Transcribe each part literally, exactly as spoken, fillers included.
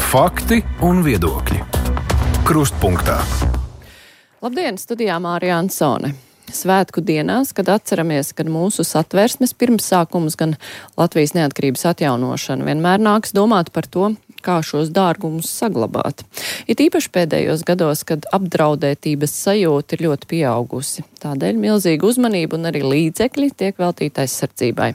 Fakti un viedokļi. Krustpunktā. Labdien, studijā Mārija Ansone. Svētku dienās, kad atceramies, kad mūsu satversmes pirmsākums, gan Latvijas neatkarības atjaunošana, vienmēr nāks domāt par to, kā šos dārgumus saglabāt. It īpaši pēdējos gados, kad apdraudētības sajūta ir ļoti pieaugusi. Tādēļ milzīga uzmanība un arī līdzekļi tiek veltīti aizsardzībai.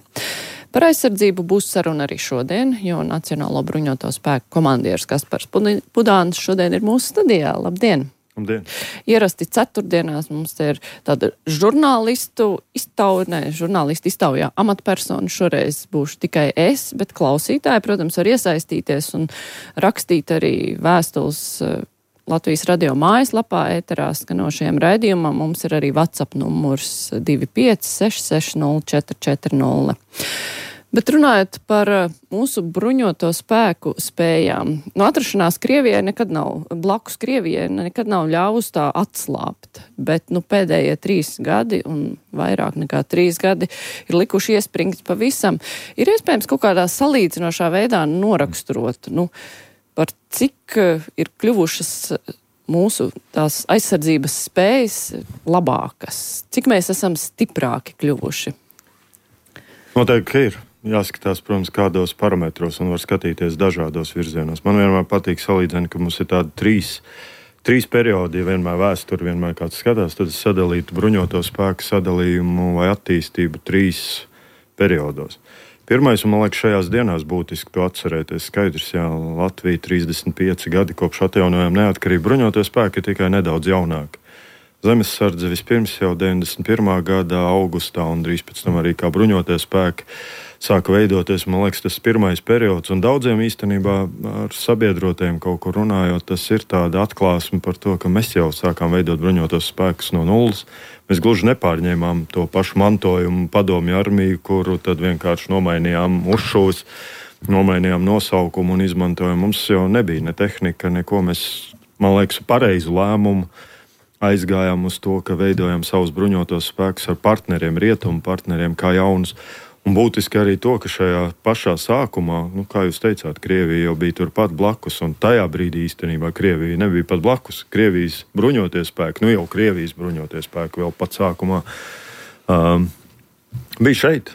Par aizsardzību būs saruna arī šodien, jo Nacionālo bruņoto spēku komandieris Kaspars Pudāns šodien ir mūsu studijā. Labdien! Labdien. Ierasti ceturtdienās mums ir tāda žurnālistu iztauja, ne, žurnālistu iztaujā amatpersonu. Šoreiz būšu tikai es, bet klausītāji, protams, var iesaistīties un rakstīt arī vēstules Latvijas radio mājaslapā, ēterā skanošajam raidījumam. Mums ir arī WhatsApp numurs divi pieci seši seši nulle četri četri nulle. Bet runājot par mūsu bruņoto spēku spējām, no atrašanās Krievijai nekad nav, blakus Krievijai nekad nav ļāvus tā atslāpt, bet nu pēdējie trīs gadi un vairāk nekā trīs gadi ir likuši iespringt pavisam. Ir iespējams kaut kādā salīdzinošā veidā noraksturot, nu, par cik ir kļuvušas mūsu tās aizsardzības spējas labākas, cik mēs esam stiprāki kļuvuši. Noteikti, ka ir. Jāskatās, protams, kādos parametros un var skatīties dažādos virzienos. Man vienmēr patīk salīdzināt, ka mums ir tādi trīs, trīs periodi, ja vienmēr vēsture, vienmēr kāds skatās, tad es sadalītu bruņoto spēku sadalījumu vai attīstību trīs periodos. Pirmais, un man liekas, šajās dienās būtiski to atcerēties, skaidrs, jā, Latvija trīsdesmit pieci gadi kopš atjaunojām neatkarību, bruņoto spēku ir tikai nedaudz jaunāki. Zemesardze vispirms jau deviņdesmit pirmā gada augustā un drīz pēc tam arī kā bruņotie spēki sāka veidoties, man liekas, tas pirmais periods, un daudziem īstenībā ar sabiedrotiem kaut kur runājot, tas ir tāda atklāsme par to, ka mēs jau sākām veidot bruņotos spēkus no nulles. Mēs gluži nepārņēmām to pašu mantojumu padomju armiju, kuru tad vienkārši nomainījām uzšūs, nomainījām nosaukumu un izmantojām. Mums jau nebija ne tehnika, neko. Mēs, man liekas, pareizu lēmumu aizgājām uz to, ka veidojam savus bruņotos spēkus ar partneriem, rietumu partneriem kā jaunus. Un būtiski arī to, ka šajā pašā sākumā, nu, kā jūs teicāt, Krievija jau bija turpat blakus, un tajā brīdī īstenībā Krievija nebija pat blakus. Krievijas bruņotie spēki, nu jau Krievijas bruņotie spēki vēl pat sākumā um, bija šeit,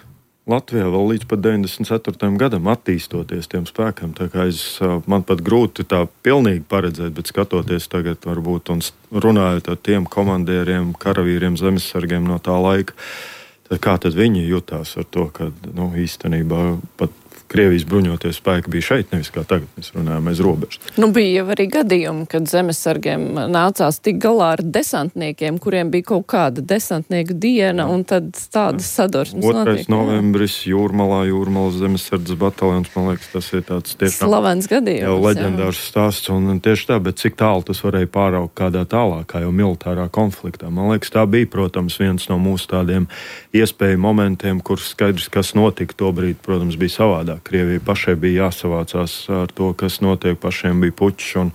Latvijā, vēl līdz pat deviņdesmit ceturtajam gadam attīstoties tiem spēkiem. Tā kā es, man pat grūti tā pilnīgi paredzēt, bet skatoties tagad varbūt un runājot ar tiem komandieriem, karavīriem, zemesargiem no tā laika, tad kā tad viņi jutās ar to, ka nu, īstenībā pat Krievijas bruņoties spēki bija šeit, nevis kā tagad mēs runājam aiz robežas. Nu, bija jau arī gadījumi, kad zemesargiem nācās tik galā ar desantniekiem, kuriem bija kaut kāda desantnieku diena, un tad tādas sadursmes notiek. otrais novembris, Jūrmalā, Jūrmalas zemesardzes bataljons, man liekas, tas ir tāds tiešām slavens gadījums. Jau leģendārs stāsts, un tieši tā, bet cik tālu tas varēja pāraukt kādā tālākā jau militārā konfliktā. Man liekas, tā bija, protams, viens no mūsu tādiem iespēju momentiem, kur skaidrs, kas notika to brīdi, protams, bija savādāk. Krievijai pašai bija jāsavācās ar to, kas notiek, pašiem bija pučs un,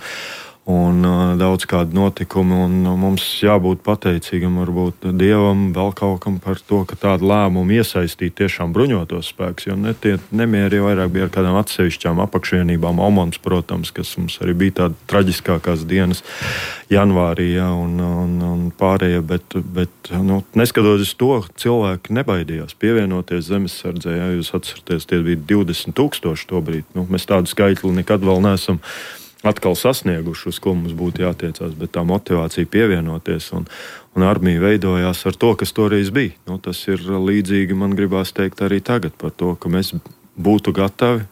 un uh, daudz kādi notikumi, un uh, mums jābūt pateicīgam varbūt Dievam, vēl kaut kam par to, ka tādu lēmumu iesaistīt tiešām bruņotos spēkus, jo netie nemieri vairāk bija ar kādām atsevišķām apakšvienībām, Omons, protams, kas mums arī bija tāda traģiskākās dienas janvārī, ja, un, un, un pārējie, bet, bet nu, neskatoties to, cilvēki nebaidījās pievienoties zemesardzē, ja jūs atceraties, tie bija divdesmit tūkstoši to brīdi, nu, mēs tādu skaitli nekad vēl neesam atkal sasnieguši, uz ko mums būtu jātiecās, bet tā motivācija pievienoties un, un armija veidojās ar to, kas toreiz bija. Nu, tas ir līdzīgi, man gribās teikt arī tagad par to, ka mēs būtu gatavi,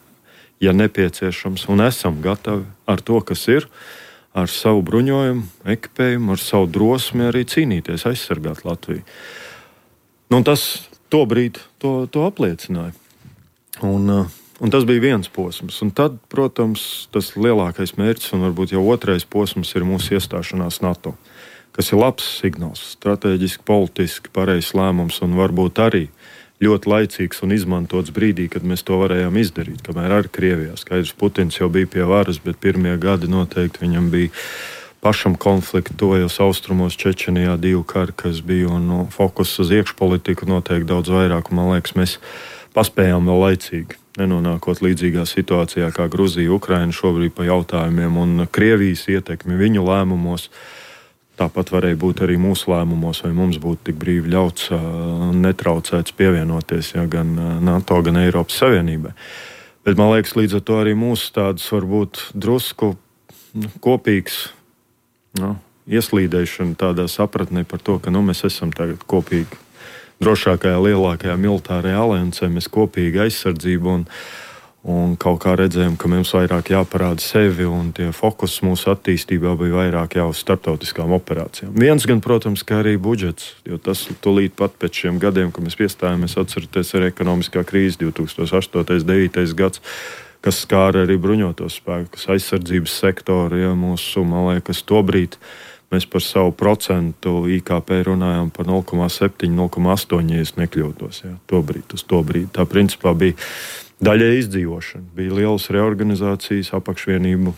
ja nepieciešams, un esam gatavi ar to, kas ir, ar savu bruņojumu, ekipējumu, ar savu drosmi arī cīnīties, aizsargāt Latviju. Nu, tas to brīdi to, to apliecināja. Un, un tas bija viens posms. Un tad, protams, tas lielākais mērķis un varbūt jau otrais posms ir mūsu iestāšanās NATO, kas ir labs signāls, strateģiski, politiski pareizs lēmums un varbūt arī ļoti laicīgs un izmantots brīdī, kad mēs to varējām izdarīt, kamēr arī Krievijā. Skaidrs, Putins jau bija pie varas, bet pirmie gadi noteikti viņam bija pašam konfliktu, tojos austrumos, Čečenijā divu kari, kas bija, un no, fokus uz iekšpolitiku noteikti daudz vairāk, un man liekas, mēs paspējām vēl laicīgi nenonākot līdzīgā situācijā kā Gruzija, Ukraina šobrīd pa jautājumiem un Krievijas ietekmi viņu lēmumos. Tāpat varēja būt arī mūsu lēmumos, vai mums būtu tik brīvi ļauts un netraucēts pievienoties ja, gan NATO, gan Eiropas Savienībai. Bet man liekas, līdz ar to arī mūsu tādas varbūt drusku nu, kopīgs nu, ieslīdēšana tādā sapratnē par to, ka nu, mēs esam tagad kopīgi drošākajā, lielākajā militārajā aliansē, mēs kopīgi aizsardzību un, un kaut kā redzējām, ka mums vairāk jāparāda sevi un tie fokus mūsu attīstībā bija vairāk jau uz starptautiskām operācijām. Viens gan, protams, ka arī budžets, jo tas tūlīt pat pēc šiem gadiem, kad mēs piestājāmies, atceraties arī ekonomiskā krīze divi tūkstoši astotais, devītais gads, kas skāra arī bruņotos spēkus, aizsardzības sektoru, ja mūsu, man liekas, tobrīd mēs par savu procentu I K P runājām par nulle komā septiņi, nulle komā astoņi, ja es nekļūtos. Ja, tobrīd, uz to brīdi. Tā principā bija daļai izdzīvošana. Bija lielas reorganizācijas, apakšvienību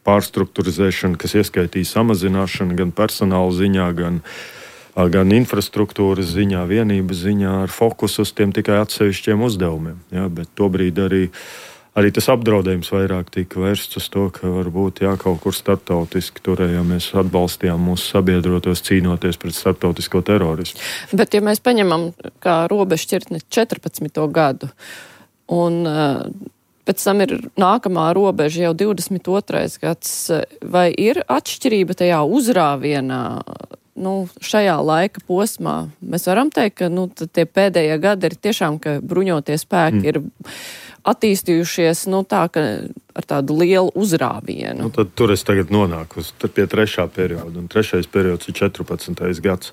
pārstrukturizēšana, kas ieskaitīja samazināšanu gan personāla ziņā, gan, gan infrastruktūras ziņā, vienības ziņā ar fokusu uz tiem tikai atsevišķiem uzdevumiem. Ja, bet tobrīd arī Arī tas apdraudējums vairāk tika vērsts uz to, ka varbūt jā, kaut kur starptautiski turējāmies, atbalstījām mūsu sabiedrotos cīnoties pret starptautisko terorismu. Bet ja mēs paņemam kā robežšķirtni četrpadsmito gadu un uh, pēc tam ir nākamā robeža jau divdesmit otrais gads, vai ir atšķirība tajā uzrāvienā? Nu, šajā laika posmā mēs varam teikt, ka nu, tie pēdējie gadi ir tiešām, ka bruņotie spēki mm. ir attīstījušies nu, tā, ka ar tādu lielu uzrāvienu. Nu, tad tur es tagad nonāku pie trešā perioda. Un trešais periods ir četrpadsmitais gads,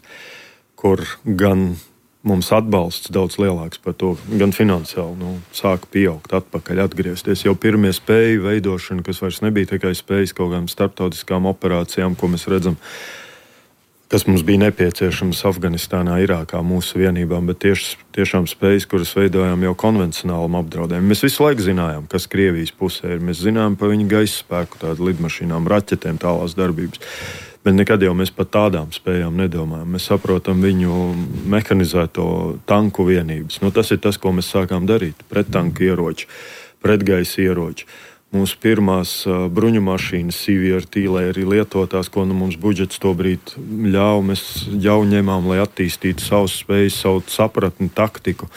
kur gan mums atbalsts daudz lielāks par to, gan finansiāli nu, sāka pieaugt, atpakaļ atgriezties. Jau pirmie spēju veidošana, kas vairs nebija tikai spējas kaut kādām starptautiskām operācijām, ko mēs redzam, kas mums bija nepieciešams Afganistānā, Irākā, mūsu vienībām, bet tieši, tiešām spējas, kuras veidojām jau konvencionālam apdraudējumam. Mēs visu laiku zinājām, kas Krievijas pusē ir. Mēs zinājām par viņu gaisa spēku, tādu lidmašīnām, raķetēm, tālās darbības. Bet nekad jau mēs par tādām spējām nedomājam. Mēs saprotam viņu mehanizēto tanku vienības. Nu, tas ir tas, ko mēs sākām darīt. Prettanku ieroči, pretgaisa ieroči. Mūsu pirmās uh, bruņu mašīnas, C V R T, lai arī lietotās, ko nu mums budžets tobrīd ļauj, mēs jau ņemām, lai attīstītu savus spējas, savu sapratni, taktiku,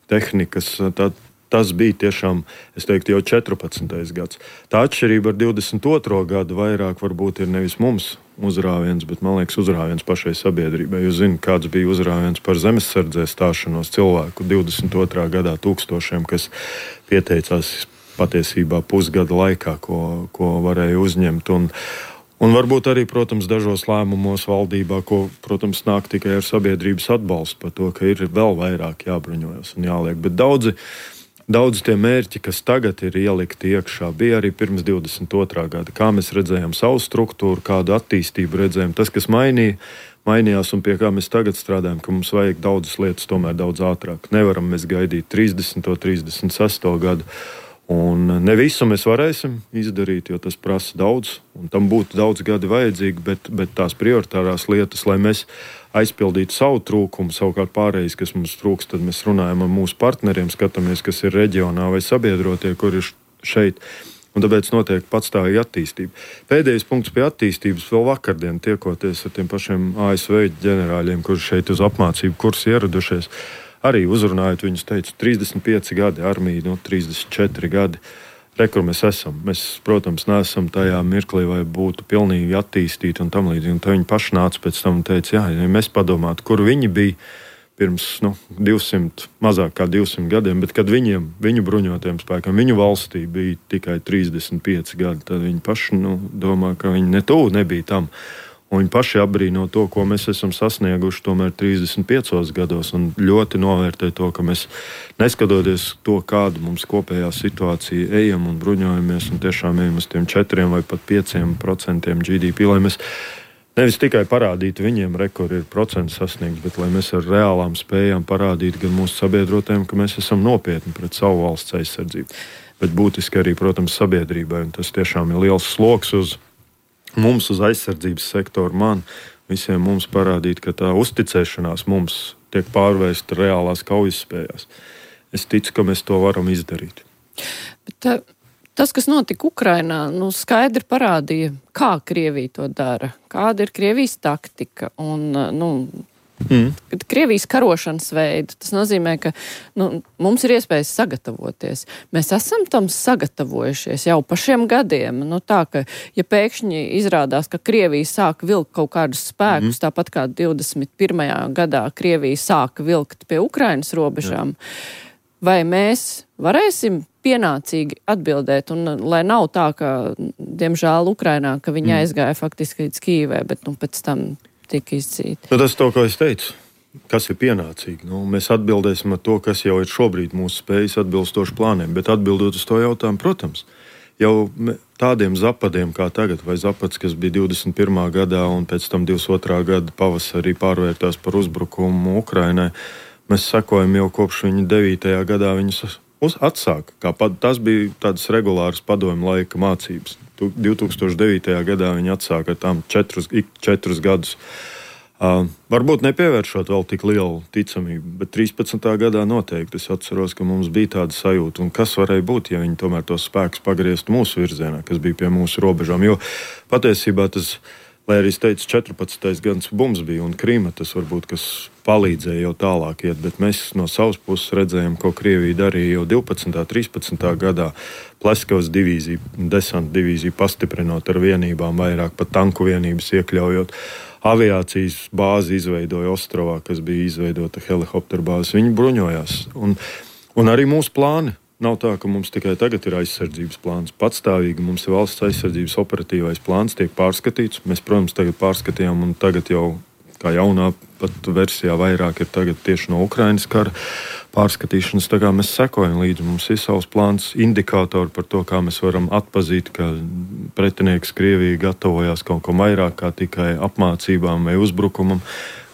tehnikas. Tā, tas bija tiešām, es teiktu, jau četrpadsmitais gads. Tā atšķirība ar divdesmit otro gadu vairāk varbūt ir nevis mums uzrāviens, bet, man liekas, uzrāviens pašai sabiedrībai. Jūs zināt, kāds bija uzrāviens par zemesardzē stāšanos cilvēku divdesmit otrā gadā tūkstošiem, kas pieteicās patiesībā pusgada laikā, ko, ko varēja uzņemt. Un, un varbūt arī, protams, dažos lēmumos valdībā, ko, protams, nāk tikai ar sabiedrības atbalstu par to, ka ir vēl vairāk jābruņojas un jāliek. Bet daudzi, daudzi tie mērķi, kas tagad ir ielikti iekšā, bija arī pirms divdesmit otrā gada. Kā mēs redzējām savu struktūru, kādu attīstību redzējām. Tas, kas mainīja, mainījās un pie kā mēs tagad strādājam, ka mums vajag daudzas lietas tomēr daudz ātrāk. Nevaram mēs gaidīt trīsdesmito, trīsdesmit sesto gadu. Un ne visu mēs varēsim izdarīt, jo tas prasa daudz, un tam būtu daudz gadi vajadzīgi, bet, bet tās prioritārās lietas, lai mēs aizpildītu savu trūkumu, savukārt pārējais, kas mums trūks, tad mēs runājam ar mūsu partneriem, skatāmies, kas ir reģionā vai sabiedrotie, kur ir šeit, un tāpēc notiek patstāvīga attīstība. Pēdējais punkts pie attīstības vēl vakardien tiekoties ar tiem pašiem A S V ģenerāļiem, kuri šeit uz apmācību kursu ieradušies. Arī uzrunājot viņus, teicu, trīsdesmit pieci gadi, armija, no trīsdesmit četri gadi. Re, kur mēs esam. Mēs, protams, neesam tajā mirklī, vai būtu pilnīgi attīstīti un tam līdzīgi. Un tā viņi paši nāca pēc tam un teica, jā, ja mēs padomātu, kur viņi bija pirms nu, divsimt, mazāk kā divsimt gadiem, bet kad viņiem, viņu bruņotiem spēkiem, viņu valstī bija tikai trīsdesmit pieci gadi, tad viņi paši nu, domā, ka viņi ne tuvu nebija tam. Un viņi paši apbrīno to, ko mēs esam sasnieguši tomēr trīsdesmit piecos gados un ļoti novērtē to, ka mēs neskatoties to, kādu mums kopējā situācija ejam un bruņojamies un tiešām ejam uz tiem četriem vai pat pieciem procentiem G D P, lai mēs nevis tikai parādītu viņiem, re, kur ir procents sasniegts, bet lai mēs ar reālām spējām parādītu gan mūsu sabiedrotēm, ka mēs esam nopietni pret savu valsts aizsardzību. Bet būtiski arī, protams, sabiedrībai, un tas tiešām ir liels sloks uz mums, uz aizsardzības sektoru, man, visiem mums parādīt, ka tā uzticēšanās mums tiek pārvērsta reālās kaujas spējās. Es ticu, ka mēs to varam izdarīt. Bet tā, tas, kas notika Ukrainā, nu, skaidri parādīja, kā Krievija to dara, kāda ir Krievijas taktika un, nu, mm. Krievijas karošanas veidu. Tas nozīmē, ka nu, mums ir iespējas sagatavoties. Mēs esam tam sagatavojušies jau pa šiem gadiem. Nu, tā, ka, ja pēkšņi izrādās, ka Krievija sāk vilkt kaut kādus spēkus, mm. tāpat kā divdesmit pirmajā gadā Krievija sāka vilkt pie Ukrainas robežām, Jā. Vai mēs varēsim pienācīgi atbildēt, un lai nav tā, ka, diemžēl, Ukrainā, ka viņi mm. aizgāja faktiski līdz Kīvai, bet nu, pēc tam tika izcīti. Nu, tas ir to, ko es teicu. Kas ir pienācīgi? Nu, mēs atbildēsim ar to, kas jau ir šobrīd mūsu spējas atbilstoši plāniem, bet atbildot uz to jautājumu, protams, jau tādiem zapadiem kā tagad, vai zapads, kas bija divdesmit pirmā gadā un pēc tam divdesmit otrā gada pavasarī pārvērtās par uzbrukumu Ukrainai, mēs sekojam jau kopš viņa devītajā gadā viņus uz atsāka. Kā pad, tas bija tādas regulāras padomju laika mācības. divi tūkstoši devītajā gadā viņi atsāka ar tām četrus, četrus gadus. Uh, varbūt nepievēršot vēl tik lielu ticamību, bet trīspadsmitā gadā noteikti es atceros, ka mums bija tāda sajūta, un kas varēja būt, ja viņi tomēr tos spēkus pagrieztu mūsu virzienā, kas bija pie mūsu robežām. Jo patiesībā tas, lai arī es teicu, četrpadsmitais gads bums bija un Krīma, tas varbūt, kas palīdzēja jau tālāk iet, bet mēs no savas puses redzējām, ko Krievija darīja jau divpadsmitā, trīspadsmitā gadā. Pleskavas divīziju, desanta divīziju pastiprinot ar vienībām, vairāk pat tanku vienības iekļaujot. Aviācijas bāzi izveidoja Ostrovā, kas bija izveidota helikopteru bāzes. Viņi bruņojās. Un, un arī mūsu plāni. Nav tā, ka mums tikai tagad ir aizsardzības plāns. Patstāvīgi mums ir valsts aizsardzības operatīvais plāns, tiek pārskatīts. Mēs, protams, tagad pārskatījām un tagad jau kā jaunā pat versijā vairāk ir tagad tieši no Ukrainas kara pārskatīšanas. Tā kā mēs sekojam līdzi, mums ir savs plāns, indikātori par to, kā mēs varam atpazīt, ka pretinieks Krievija gatavojās kaut ko vairāk kā tikai apmācībām vai uzbrukumam.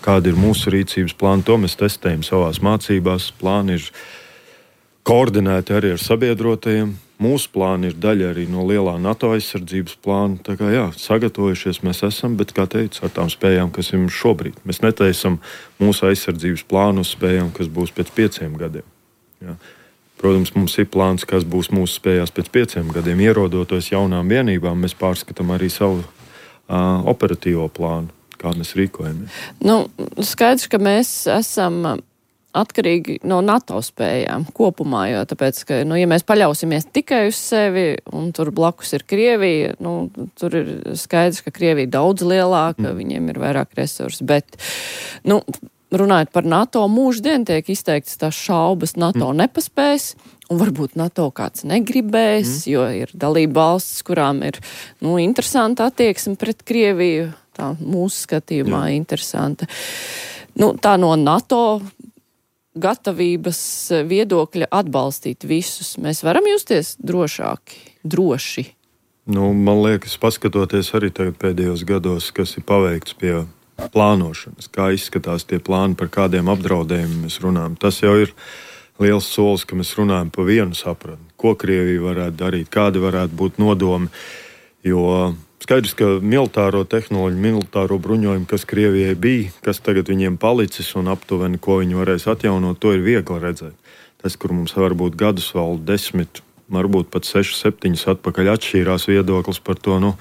Kāda ir mūsu rīcības plāna, to mēs testējam savās mācībās. Plāni ir koordinēti arī ar sabiedrotajiem. Mūsu plāni ir daļa arī no lielā NATO aizsardzības plāna. Tā kā jā, sagatavojušies mēs esam, bet, kā teicu, ar tām spējām, kas ir mums šobrīd. Mēs netaisam mūsu aizsardzības plānu uz spējām, kas būs pēc pieciem gadiem. Jā. Protams, mums ir plāns, kas būs mūsu spējās pēc pieciem gadiem. Ierodoties jaunām vienībām, mēs pārskatām arī savu uh, operatīvo plānu, kā mēs rīkojamies. Nu, skaidrs, ka mēs esam atkarīgi no NATO spējām kopumā, jo tāpēc, ka, nu, ja mēs paļausimies tikai uz sevi, un tur blakus ir Krievija, nu, tur ir skaidrs, ka Krievija daudz lielāka, mm. viņiem ir vairāk resursi, bet, nu, runājot par NATO, mūždien tiek izteikts tās šaubas, NATO mm. nepaspēs, un varbūt NATO kāds negribēs, mm. jo ir dalība valstis, kurām ir, nu, interesanta attieksme pret Krieviju, tā mūsu skatījumā Jā. Interesanta. Nu, tā no NATO gatavības viedokļa atbalstīt visus. Mēs varam justies drošāki, droši. Nu, man liekas, paskatoties arī tagad pēdējos gados, kas ir paveikts pie plānošanas, kā izskatās tie plāni, par kādiem apdraudējumiem mēs runājam. Tas jau ir liels solis, ka mēs runājam pa vienu sapratni. Ko Krievija varētu darīt, kādi varētu būt nodomi, jo skaidrs, ka militāro tehnoloģiju, militāro bruņojumu, kas Krievijai bija, kas tagad viņiem palicis un aptuveni, ko viņi varēs atjaunot, to ir viegli redzēt. Tas, kur mums varbūt gadus vēl desmit, varbūt pat seši, septiņus atpakaļ atšķīrās viedoklis par to, nu,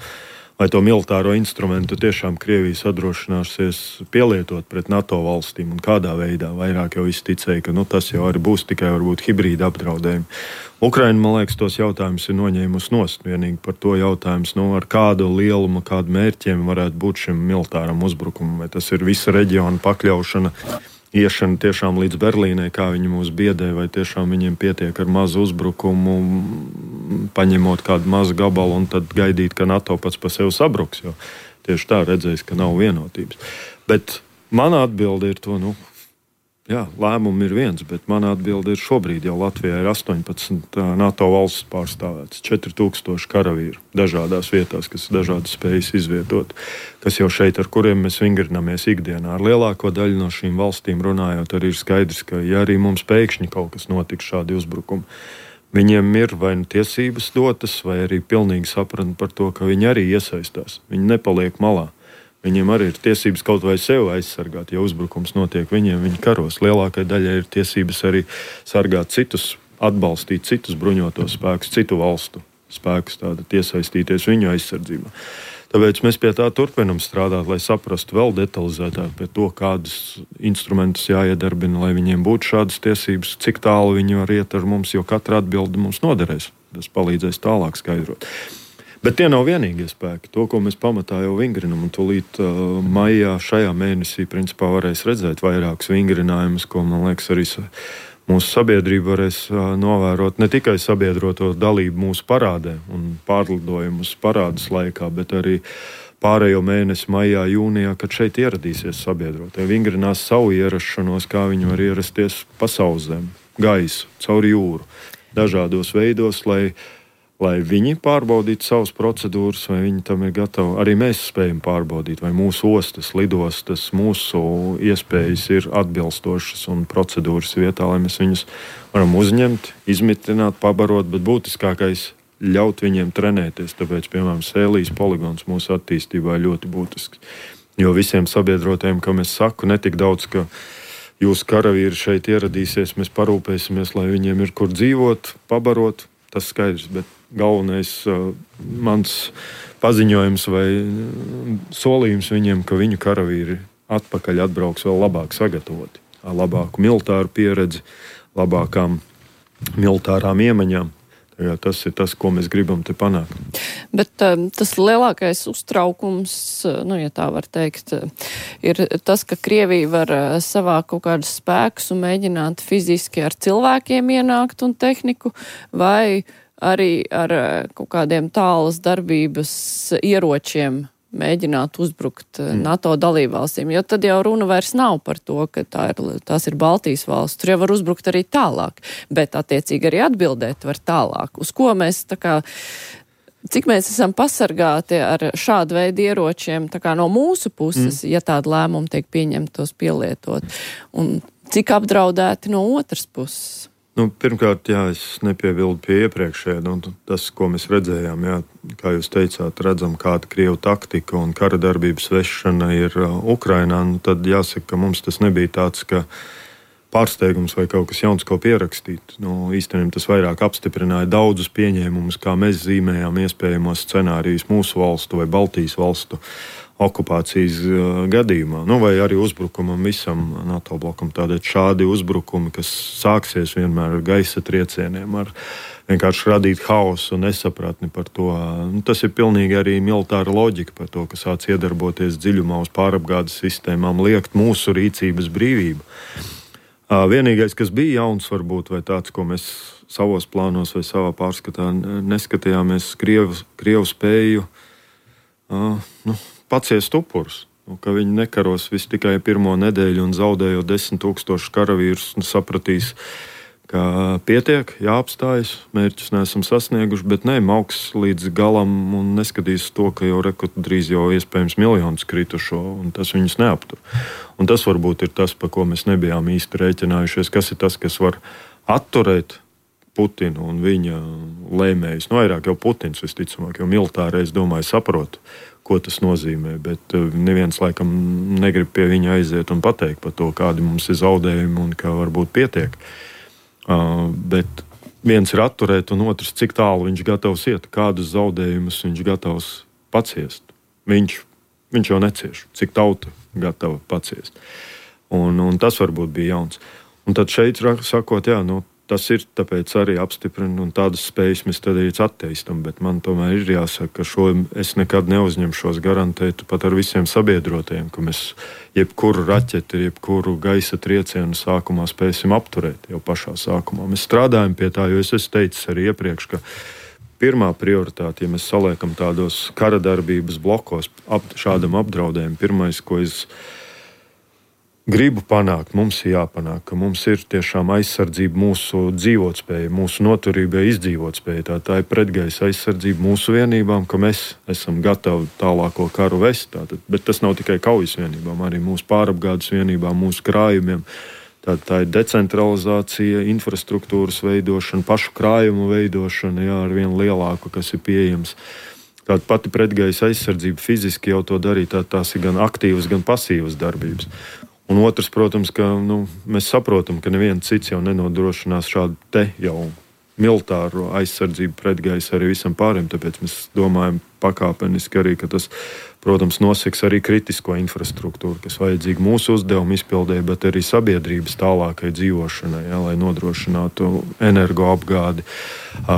vai to militāro instrumentu tiešām Krievija sadrošināsies pielietot pret NATO valstīm un kādā veidā. Vairāk jau izticēja, ka nu, tas jau arī būs tikai varbūt hibrīda apdraudējumi. Ukraina, man liekas, tos jautājumus ir noņēmusi nost. Vienīgi par to jautājums, nu, ar kādu lielumu, kādu mērķiem varētu būt šim militāram uzbrukumam. Vai tas ir visa reģiona pakļaušana, iešana tiešām līdz Berlīnai, kā viņi mūs biedē, vai tiešām viņiem pietiek ar mazu uzbrukumu, paņemot kādu mazu gabalu un tad gaidīt, ka NATO pats pa sevi sabruks, jo tieši tā redzēs, ka nav vienotības. Bet mana atbilde ir to, nu, jā, lēmumi ir viens, bet mana atbilde ir šobrīd jau Latvijā ir astoņpadsmit NATO valsts pārstāvētas, četri tūkstoši karavīru dažādās vietās, kas dažādas spējas izvietot, kas jau šeit, ar kuriem mēs vingrinamies ikdienā. Ar lielāko daļu no šīm valstīm runājot, arī ir skaidrs, ka ja arī mums pēkšņi kaut kas notiks šādi uzbrukumi, viņiem ir vai nu tiesības dotas, vai arī pilnīgi sapratni par to, ka viņi arī iesaistās. Viņi nepaliek malā. Viņiem arī ir tiesības kaut vai sevi aizsargāt. Ja uzbrukums notiek viņiem, viņi karos. Lielākai daļai ir tiesības arī sargāt citus atbalstīt citus bruņotos spēkus, citu valstu spēkus, tātad iesaistīties viņu aizsardzībā. Tāpēc mēs pie tā turpinam strādāt, lai saprastu vēl detalizētāk pie to, kādus instrumentus jāiedarbina, lai viņiem būtu šādas tiesības, cik tālu viņi var iet ar mums, jo katra atbilde mums noderēs. Tas palīdzēs tālāk skaidrot. Bet tie nav vienīgie spēki. To, ko mēs pamatā jau vingrinam, un tūlīt uh, maijā šajā mēnesī principā varēs redzēt vairākus vingrinājumus, ko, man liekas, arī mūsu sabiedrība varēs uh, novērot ne tikai sabiedroto dalību mūsu parādē un pārlidojumus parādas laikā, bet arī pārējo mēnesi maijā, jūnijā, kad šeit ieradīsies sabiedrotie. Vingrinās savu ierašanos, kā viņi var ierasties pa sauszem, gaisu, caur jūru, dažādos veidos, lai lai viņi pārbaudītu savas procedūras, vai viņi tam ir gatavi. Arī mēs spējam pārbaudīt, vai mūsu ostas, lidostas, mūsu iespējas ir atbilstošas un procedūras vietā, lai mēs viņus varam uzņemt, izmitināt, pabarot, bet būtiskākais ļaut viņiem trenēties. Tāpēc, piemēram, Sēlijas poligons mūsu attīstībā ir ļoti būtisks. Jo visiem sabiedrotiem, kam es saku, netik daudz, ka jūsu karavīri šeit ieradīsies, mēs parūpēsimies, lai viņiem ir kur dzīvot, pabarot, tas skaidrs, bet galvenais uh, mans paziņojums vai solījums viņiem, ka viņu karavīri atpakaļ atbrauks vēl labāk sagatavoti, ar labāku militāru pieredzi, labākām militārām iemaņām. Jā, tas ir tas, ko mēs gribam te panākt. Bet um, tas lielākais uztraukums, nu, ja tā var teikt, ir tas, ka Krievija var uh, savākt kaut kādus spēkus un mēģināt fiziski ar cilvēkiem ienākt un tehniku, vai arī ar uh, kaut kādiem tālas darbības ieročiem mēģināt uzbrukt mm. NATO dalībvalstīm, jo tad jau runa vairs nav par to, ka tā ir, tās ir Baltijas valsts. Tur jau var uzbrukt arī tālāk, bet attiecīgi arī atbildēt var tālāk. Uz ko mēs tā kā, cik mēs esam pasargāti ar šādu veidu ieročiem tā kā no mūsu puses, mm. ja tāda lēmuma tiek pieņemta tos pielietot, un cik apdraudēti no otras puses? Nu, pirmkārt, jā, es nepiebildu pie iepriekšējā. Nu, tas, ko mēs redzējām, jā, kā jūs teicāt, redzam, kāda Krievu taktika un kara darbības vešana ir uh, Ukrainā, nu, tad jāsaka, ka mums tas nebija tāds, ka pārsteigums vai kaut kas jauns, ko pierakstīt. Nu, īstenībā tas vairāk apstiprināja daudzus pieņēmumus, kā mēs zīmējām iespējamos scenārijus mūsu valstu vai Baltijas valstu okupācijas uh, gadījumā, nu, vai arī uzbrukumam visam NATO blokam. Tādēļ šādi uzbrukumi, kas sāksies vienmēr ar gaisa triecieniem, ar vienkārši radīt haosu un nesapratni par to. Nu, tas ir pilnīgi arī militāra loģika par to, ka sāc iedarboties dziļumā uz pārapgādes sistēmām, liekt mūsu rīcības brīvību. Uh, vienīgais, kas bija jauns varbūt, vai tāds, ko mēs savos plānos vai savā pārskatā neskatījāmies, Krievu, Krievu spēju uh, nu, paciest upurus, nu, ka viņi nekaros visu tikai pirmo nedēļu un zaudējot desmit tūkstošu karavīrus, un sapratīs, ka pietiek, jāapstājas, mērķus neesam sasnieguši, bet ne, mauks līdz galam un neskatīs to, ka jau rekord drīz jau iespējams miljonus kritušo, un tas viņus neaptur. Un tas varbūt ir tas, pa ko mēs nebijām īsti rēķinājušies, kas ir tas, kas var atturēt Putinu un viņa lēmējus. Nu, vairāk jau Putins visticamāk, jo militāri, es domāju, saprotu, ko tas nozīmē, bet neviens laikam negrib pie viņa aiziet un pateikt par to, kādi mums ir zaudējumi un ka varbūt pietiek. Uh, bet viens ir atturēt un otrs, cik tālu viņš gatavs iet, kādus zaudējumus viņš gatavs paciest. Viņš, viņš jau necieš, cik tauta gatava paciest. Un, un tas varbūt bija jauns. Un tad šeit sakot, jā, nu, tas ir tāpēc arī apstiprina, un tādas spējas mēs tad arī atteistam, bet man tomēr ir jāsaka, ka šo es nekad neuzņemšos garantēt pat ar visiem sabiedrotajiem, ka mēs jebkuru raķeti, jebkuru gaisa triecienu sākumā spēsim apturēt jau pašā sākumā. Mēs strādājam pie tā, jo es esmu teicis arī iepriekš, ka pirmā prioritāte, ja mēs saliekam tādos kara darbības blokos ap, šādam apdraudējumam, pirmais, ko es gribu panākt, mums ir jāpanāk, ka mums ir tiešām aizsardzība mūsu dzīvotspēja, mūsu noturībai izdzīvotspēja. Tā, tā ir pretgaisa aizsardzība mūsu vienībām, ka mēs esam gatavi tālāko karu vest. Tātad, bet tas nav tikai kaujas vienībām, arī mūsu pārapgādes vienībām, mūsu krājumiem. Tā, tā ir decentralizācija, infrastruktūras veidošana, pašu krājumu veidošana, jā, ar vienu lielāku, kas ir pieejams. Tāda pati pretgaisa aizsardzība fiziski jau to darīt, tā, tās ir gan aktīvas, gan pasīvas darbības. Un otrs, protams, ka nu, mēs saprotam, ka neviens cits jau nenodrošinās šādu te jau militāro aizsardzību pretgaisa arī visam pārējiem. Tāpēc mēs domājam pakāpeniski arī, ka tas, protams, noseks arī kritisko infrastruktūru, kas vajadzīga mūsu uzdevumu izpildēji, bet arī sabiedrības tālākai dzīvošanai, ja, lai nodrošinātu energoapgādi,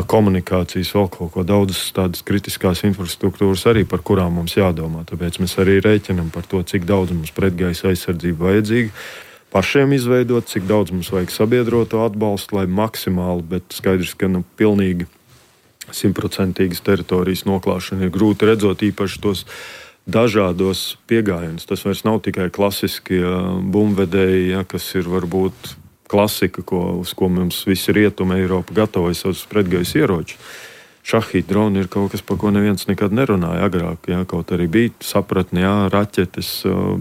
komunikācijas, vēl kaut ko daudzas tādas kritiskās infrastruktūras arī, par kurām mums jādomā. Tāpēc mēs arī rēķinam par to, cik daudz mums pretgaisa aizsardzība vajadzīga. Pašiem izveidot, cik daudz mums vajag sabiedroto atbalstu, lai maksimāli, bet skaidrs, ka nu, pilnīgi simtprocentīgas teritorijas noklāšana ir grūti redzot, īpaši tos dažādos piegājienus. Tas vairs nav tikai klasiskie bumbvedēji, ja, kas ir varbūt klasika, ko, uz ko mums visi rietumi Eiropa gatavoja savus pretgaisa ieročus. Šahīti droni ir kaut kas, par ko neviens nekad nerunāja agrāk. Jā, kaut arī bija sapratni, jā, raķetes,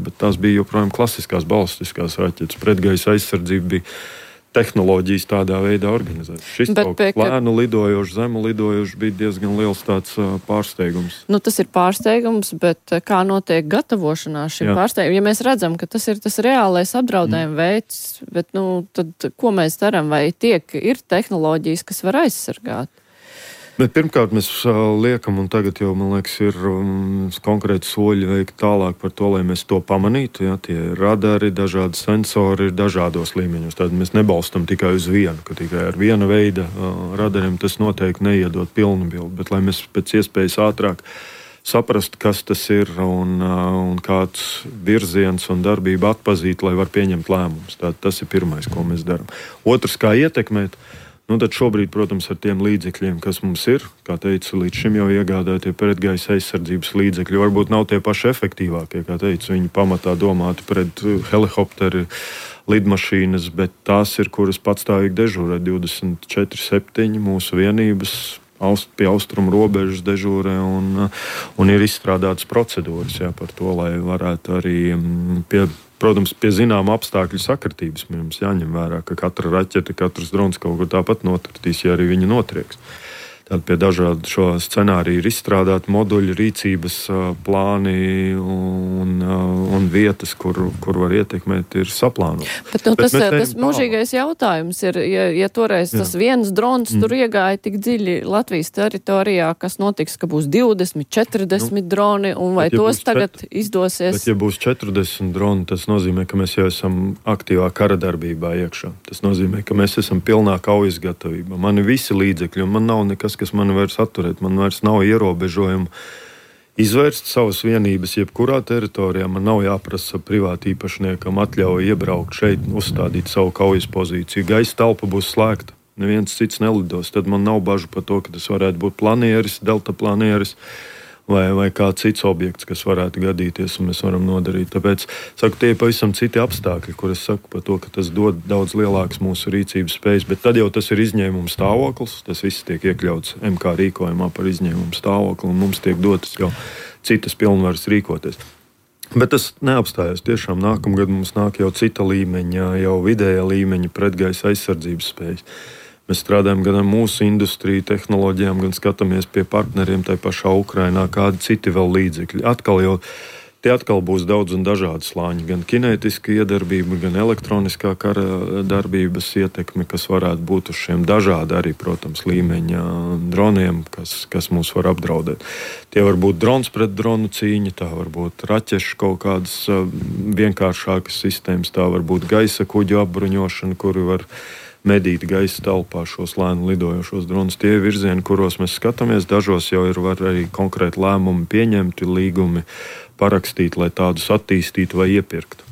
bet tās bija joprojām klasiskās balistiskās raķetes. Pretgaisa aizsardzība bija tehnoloģijas tādā veidā organizētas. Šis kaut kā lēnu lidojošs, zemu lidojošs bija diezgan liels tāds pārsteigums. Nu, tas ir pārsteigums, bet kā notiek gatavošanās šim pārsteigumam? Ja mēs redzam, ka tas ir tas reālais apdraudējuma mm. veids, bet, nu, tad ko mēs darām? Vai tiek, ir tehnoloģijas, kas var aizsargāt? Bet pirmkārt, mēs liekam, un tagad jau, man liekas, ir um, konkrēti soļi veikt tālāk par to, lai mēs to pamanītu. Ja, tie radari, dažādi sensori ir dažādos līmeņos. Tad mēs nebalstam tikai uz vienu, ka tikai ar viena veida uh, radariem tas noteikti neiedod pilnu bildi. Bet lai mēs pēc iespējas ātrāk saprastu, kas tas ir un, uh, un kāds virziens un darbība atpazīt, lai var pieņemt lēmumus. Tātad tas ir pirmais, ko mēs darām. Otrs, kā ietekmēt. Nu, tad šobrīd, protams, ar tiem līdzekļiem, kas mums ir, kā teicu, līdz šim jau iegādātie pretgaisa aizsardzības līdzekļi, varbūt nav tie paši efektīvākie, kā teicu, viņi pamatā domāti pret helikopteri, lidmašīnas, bet tās ir, kuras patstāvīgi dežūrē divdesmit četri septiņi mūsu vienības aust, pie austrumu robežas dežūrē un, un ir izstrādātas procedūras, jā, par to, lai varētu arī pie Protams, pie zināma apstākļu sakritības mums jāņem vērā, ka katra raķete, katrs drons kaut kur tāpat notartīs, ja arī viņi notrieks. Tad pie dažādu šo scenāriju ir izstrādāti moduļi, rīcības plāni un, un vietas, kur, kur var ietekmēt, ir saplānot. Bet, nu, Bet tas, tas mūžīgais jautājums ir, ja, ja toreiz Jā. tas viens drons mm. tur iegāja tik dziļi Latvijas teritorijā, kas notiks, ka būs divdesmit, četrdesmit nu, droni, un vai ja tos tagad čet... izdosies? Bet, ja būs četrdesmit droni, tas nozīmē, ka mēs jau esam aktīvā kara darbībā iekšā. Tas nozīmē, ka mēs esam pilnā kaujas gatavībā. Man ir visi līdzekļi, un man nav nekas, kas mani vairs atturēt. Man vairs nav ierobežojumu izvērst savas vienības jebkurā teritorijā. Man nav jāprasa privāti īpašniekam atļauju iebraukt šeit, uzstādīt savu kaujas pozīciju. Gaisa telpa būs slēgta. Neviens cits nelidos. Tad man nav bažu par to, ka tas varētu būt planieris, delta planieris vai, vai kāds cits objekts, kas varētu gadīties un mēs varam nodarīt. Tāpēc, saku, tie ir pavisam citi apstākļi, kur es saku par to, ka tas dod daudz lielākas mūsu rīcības spējas, bet tad jau tas ir izņēmuma stāvoklis, tas viss tiek iekļauts M K rīkojumā par izņēmumu stāvokli un mums tiek dotas jau citas pilnvaras rīkoties. Bet tas neapstājas. Tiešām nākamgad mums nāk jau cita līmeņa, jau vidējā līmeņa pretgaisa aizsardzības spējas. Mēs strādājam gan ar mūsu industriju, tehnoloģijām, gan skatāmies pie partneriem tai pašā Ukrainā, kādi citi vēl līdzekļi. Atkal jau, tie atkal būs daudz un dažādi slāņi, gan kinētiska iedarbība, gan elektroniskā kara darbības ietekme, kas varētu būt uz šiem dažādi arī, protams, līmeņa droniem, kas, kas mūs var apdraudēt. Tie var būt drons pret dronu cīņa, tā var būt raķešu kaut kādas vienkāršākas sistēmas, tā var būt gaisa kuģu apbruņošana, kuri var medīt gaisa telpā šos lēnu lidojošos dronus. Tie virzieni, kuros mēs skatāmies, dažos jau ir var arī konkrēti lēmumi pieņemti, līgumi parakstīt, lai tādus attīstītu vai iepirktu.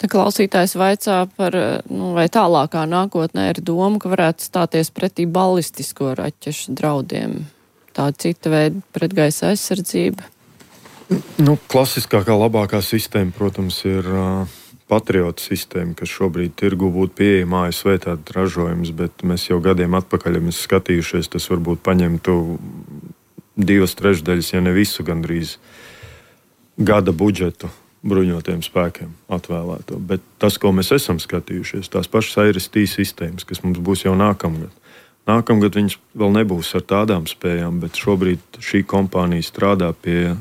Tā klausītājs vaicā par, nu, vai tālākā nākotnē ir doma, ka varētu stāties pretī balistisko raķešu draudiem. Tā cita veida pretgaisa aizsardzība. Nu, klasiskākā labākā sistēma, protams, ir uh, Patriota sistēma, kas šobrīd tirgu būtu pieejama A S V tāda ražojums, bet mēs jau gadiem atpakaļ, ja mēs skatījušies, tas varbūt paņemtu divas trešdaļas, ja ne visu gandrīz gada budžetu bruņotiem spēkiem atvēlēto. Bet tas, ko mēs esam skatījušies, tās pašas A R S T sistēmas, kas mums būs jau nākamgad. Nākamgad viņas vēl nebūs ar tādām spējām, bet šobrīd šī kompānija strādā pie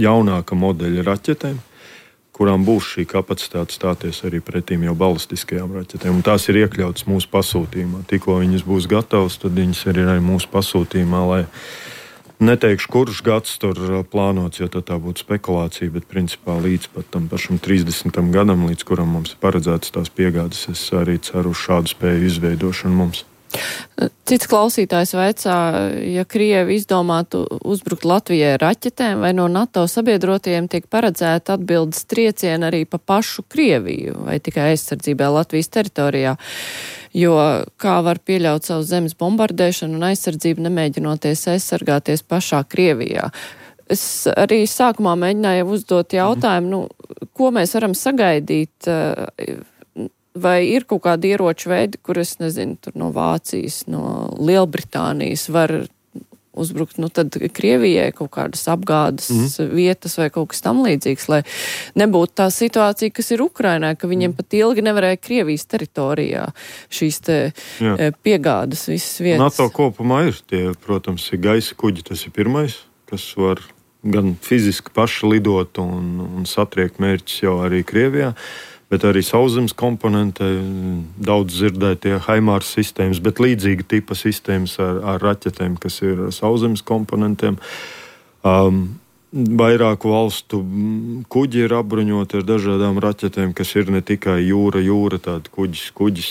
jaunāka modeļa raķetēm, kurām būs šī kapacitāte stāties arī pretīm jau balistiskajām raķetēm. Un tās ir iekļautas mūsu pasūtījumā. Tikko viņas būs gatavas, tad viņas ir arī mūsu pasūtījumā, lai neteikšu, kurš gads tur plānots, jo tā būtu spekulācija, bet principā līdz pat tam pašam trīsdesmitam gadam, līdz kuram mums ir paredzētas tās piegādes, es arī ceru uz šādu spēju izveidošanu mums. Cits klausītājs vaicā, ja Krievi izdomātu uzbrukt Latvijai raķetēm, vai no NATO sabiedrotajiem tiek paredzēta atbildes trieciena arī pa pašu Krieviju, vai tikai aizsardzībā Latvijas teritorijā, jo kā var pieļaut savu zemes bombardēšanu un aizsardzību, nemēģinoties aizsargāties pašā Krievijā. Es arī sākumā mēģināju uzdot jautājumu, nu, ko mēs varam sagaidīt, vai ir kaut kādi ieroču veidi, kur es nezinu, tur no Vācijas, no Lielbritānijas var uzbrukt, nu tad Krievijai kaut kādas apgādes mm. vietas vai kaut kas tam līdzīgs, lai nebūtu tā situācija, kas ir Ukrainā, ka viņiem pat ilgi nevarēja Krievijas teritorijā šīs te Jā. piegādes visas vietas. NATO kopumā ir tie, protams, ir gaisa kuģi, tas ir pirmais, kas var gan fiziski paši lidot un, un satriekt mērķus jau arī Krievijā, bet arī sauszemes komponente, daudz dzirdētie Haimārs sistēmas, bet līdzīga tipa sistēmas ar, ar raķetēm, kas ir sauszemes komponentiem. Um, vairāku valstu kuģi ir apbruņoti ar dažādām raķetēm, kas ir ne tikai jūra, jūra, tāda kuģis, kuģis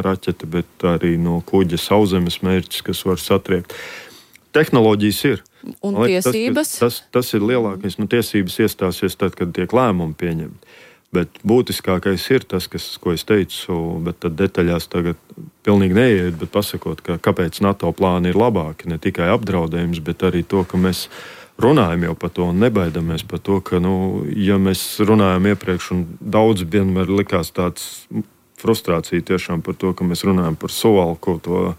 raķete, bet arī no kuģa sauszemes mērķis, kas var satriekt. Tehnoloģijas ir. Un liek, tiesības? Tas, tas, tas ir lielākais. Nu, tiesības iestāsies tad, kad tiek lēmumi pieņemti. Bet būtiskākais ir tas, kas, ko es teicu, bet tad detaļās tagad pilnīgi neiet, bet pasakot, ka kāpēc NATO plāni ir labāki, ne tikai apdraudējums, bet arī to, ka mēs runājam jau par to un nebaidamies par to, ka, nu, ja mēs runājam iepriekš un daudz vienmēr likās tāds frustrācija tiešām par to, ka mēs runājam par Suvalku, to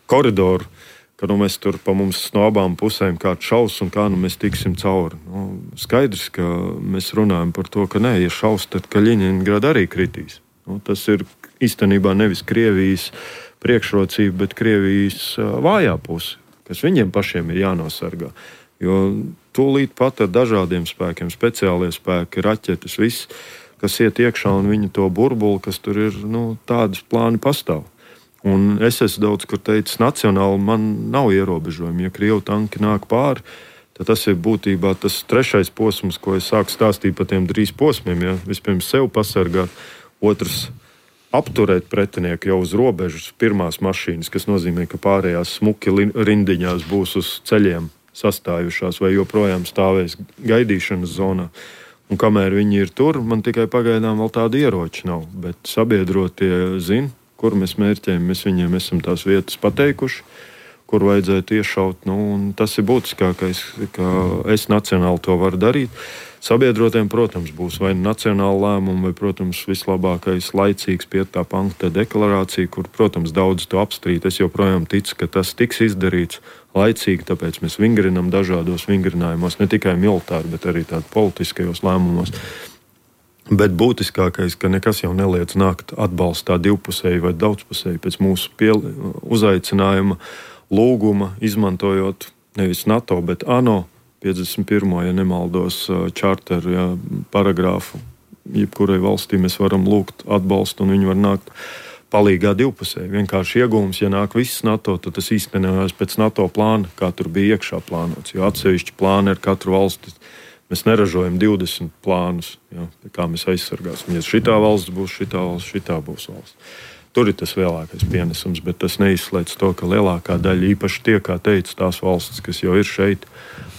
koridoru, ka nu, mēs tur pa mums no abām pusēm kāds šaus un kā nu, mēs tiksim cauri. Nu, skaidrs, ka mēs runājam par to, ka nē, ja šaus, tad Kaļiņingrada arī kritīs. Nu, tas ir īstenībā nevis Krievijas priekšrocība, bet Krievijas vājā puse, kas viņiem pašiem ir jānosargā. Jo tūlīt pat ar dažādiem spēkiem, speciālie spēki, raķetes, viss, kas iet iekšā un viņu to burbuli, kas tur ir, nu, tādas plāni pastāv. Un es esmu daudz, kur teicis, nacionāli man nav ierobežojumi. Ja Krievu tanki nāk pāri, tad tas ir būtībā tas trešais posms, ko es sāku stāstīt par tiem trīs posmiem. Ja? Vispirms sev pasargāt, otrs apturēt pretinieku jau uz robežas, pirmās mašīnas, kas nozīmē, ka pārējās smuki rindiņās būs uz ceļiem sastājušās vai joprojām stāvēs gaidīšanas zonā. Un kamēr viņi ir tur, man tikai pagaidām vēl tādi ieroči nav. Bet sabiedrotie zina, kur mēs mērķējam, mēs viņiem esam tās vietas pateikuši, kur vajadzētu iešaut. Nu, tas ir būtiskākais, ka es nacionāli to varu darīt. Sabiedrotiem, protams, būs vai nacionāla lēmuma, vai, protams, vislabākais laicīgs piektā panta deklarācija, kur, protams, daudz to apstrīd. Es joprojām ticu, ka tas tiks izdarīts laicīgi, tāpēc mēs vingrinam dažādos vingrinājumos, ne tikai militāri, bet arī tādi politiskajos lēmumos. Bet būtiskākais, ka nekas jau neliedz nākt atbalstā divpusēji vai daudzpusēji pēc mūsu piel- uzaicinājuma, lūguma, izmantojot nevis NATO, bet ANO piecdesmit pirmo, ja nemaldos, čārteru ja, paragrāfu. Jebkurai valstī mēs varam lūgt atbalstu un viņi var nākt palīgā divpusēji. Vienkārši iegūms, ja nāk viss NATO, tad tas īstenojās pēc NATO plāna, kā tur bija iekšā plānots, jo atsevišķi plāni ar katru valsti. Mēs neražojam divdesmit plānus, ja, kā mēs aizsargāsim. Ja šitā valsts būs, šitā valsts, šitā būs valsts. Tur ir tas lielākais pienesums, bet tas neizslēdz to, ka lielākā daļa, īpaši tie, kā teica, tās valstis, kas jau ir šeit,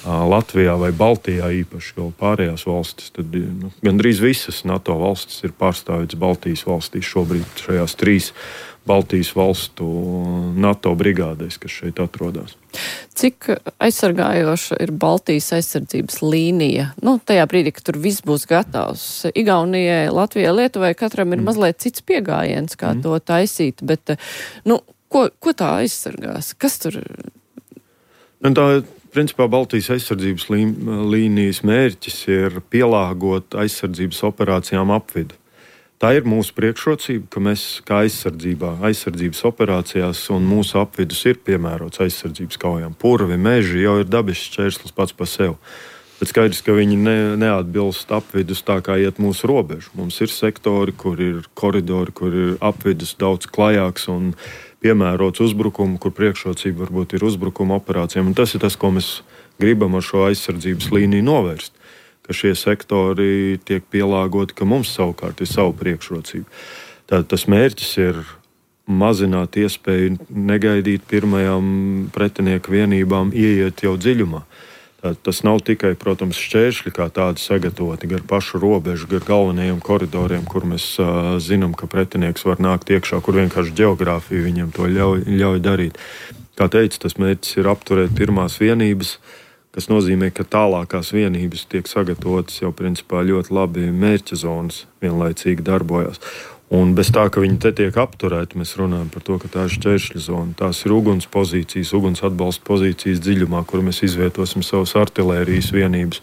Latvijā vai Baltijā īpaši, vēl pārējās valstis, tad nu, gandrīz visas NATO valstis ir pārstāvētas Baltijas valstīs šobrīd šajās trīs Baltijas valstu NATO brigādēs, kas šeit atrodas. Cik aizsargājoša ir Baltijas aizsardzības līnija? Nu, tajā brīdī, kad tur viss būs gatavs. Igaunijai, Latvijai, Lietuvai katram ir mm. mazliet cits piegājiens, kā mm. to taisīt, bet nu, ko, ko tā aizsargās? Kas tur? Un tā, principā, Baltijas aizsardzības lī, līnijas mērķis ir pielāgot aizsardzības operācijām apvidu. Tā ir mūsu priekšrocība, ka mēs kā aizsardzībā, aizsardzības operācijās un mūsu apvidus ir piemērots aizsardzības kaujām. Purvi, meži jau ir dabisks šķērslis pats par sevi. Bet skaidrs, ka viņi ne, neatbilst apvidus tā, kā iet mūsu robežu. Mums ir sektori, kur ir koridori, kur ir apvidus daudz klajāks un piemērots uzbrukumu, kur priekšrocība varbūt ir uzbrukuma operācijām. Un tas ir tas, ko mēs gribam ar šo aizsardzības līniju novērst. Ka šie sektori tiek pielāgoti, ka mums savukārt ir savu priekšrocību. Tātad tas mērķis ir mazināt iespēju negaidīt pirmajām pretinieku vienībām ieiet jau dziļumā. Tātad tas nav tikai, protams, šķēršļi kā tādi sagatavoti gar pašu robežu, gar galvenajiem koridoriem, kur mēs uh, zinām, ka pretinieks var nākt iekšā, kur vienkārši ģeogrāfija viņam to ļauj, ļauj darīt. Kā teicu, tas mērķis ir apturēt pirmās vienības, kas nozīmē, ka tālākās vienības tiek sagatavotas jau principā ļoti labi mērķa zonas vienlaicīgi darbojas. Un bez tā, ka viņi te tiek apturēti, mēs runājam par to, ka tā ir šķēršļa zona. Tās ir uguns pozīcijas, uguns atbalsta pozīcijas dziļumā, kur mēs izvietosim savas artilērijas vienības.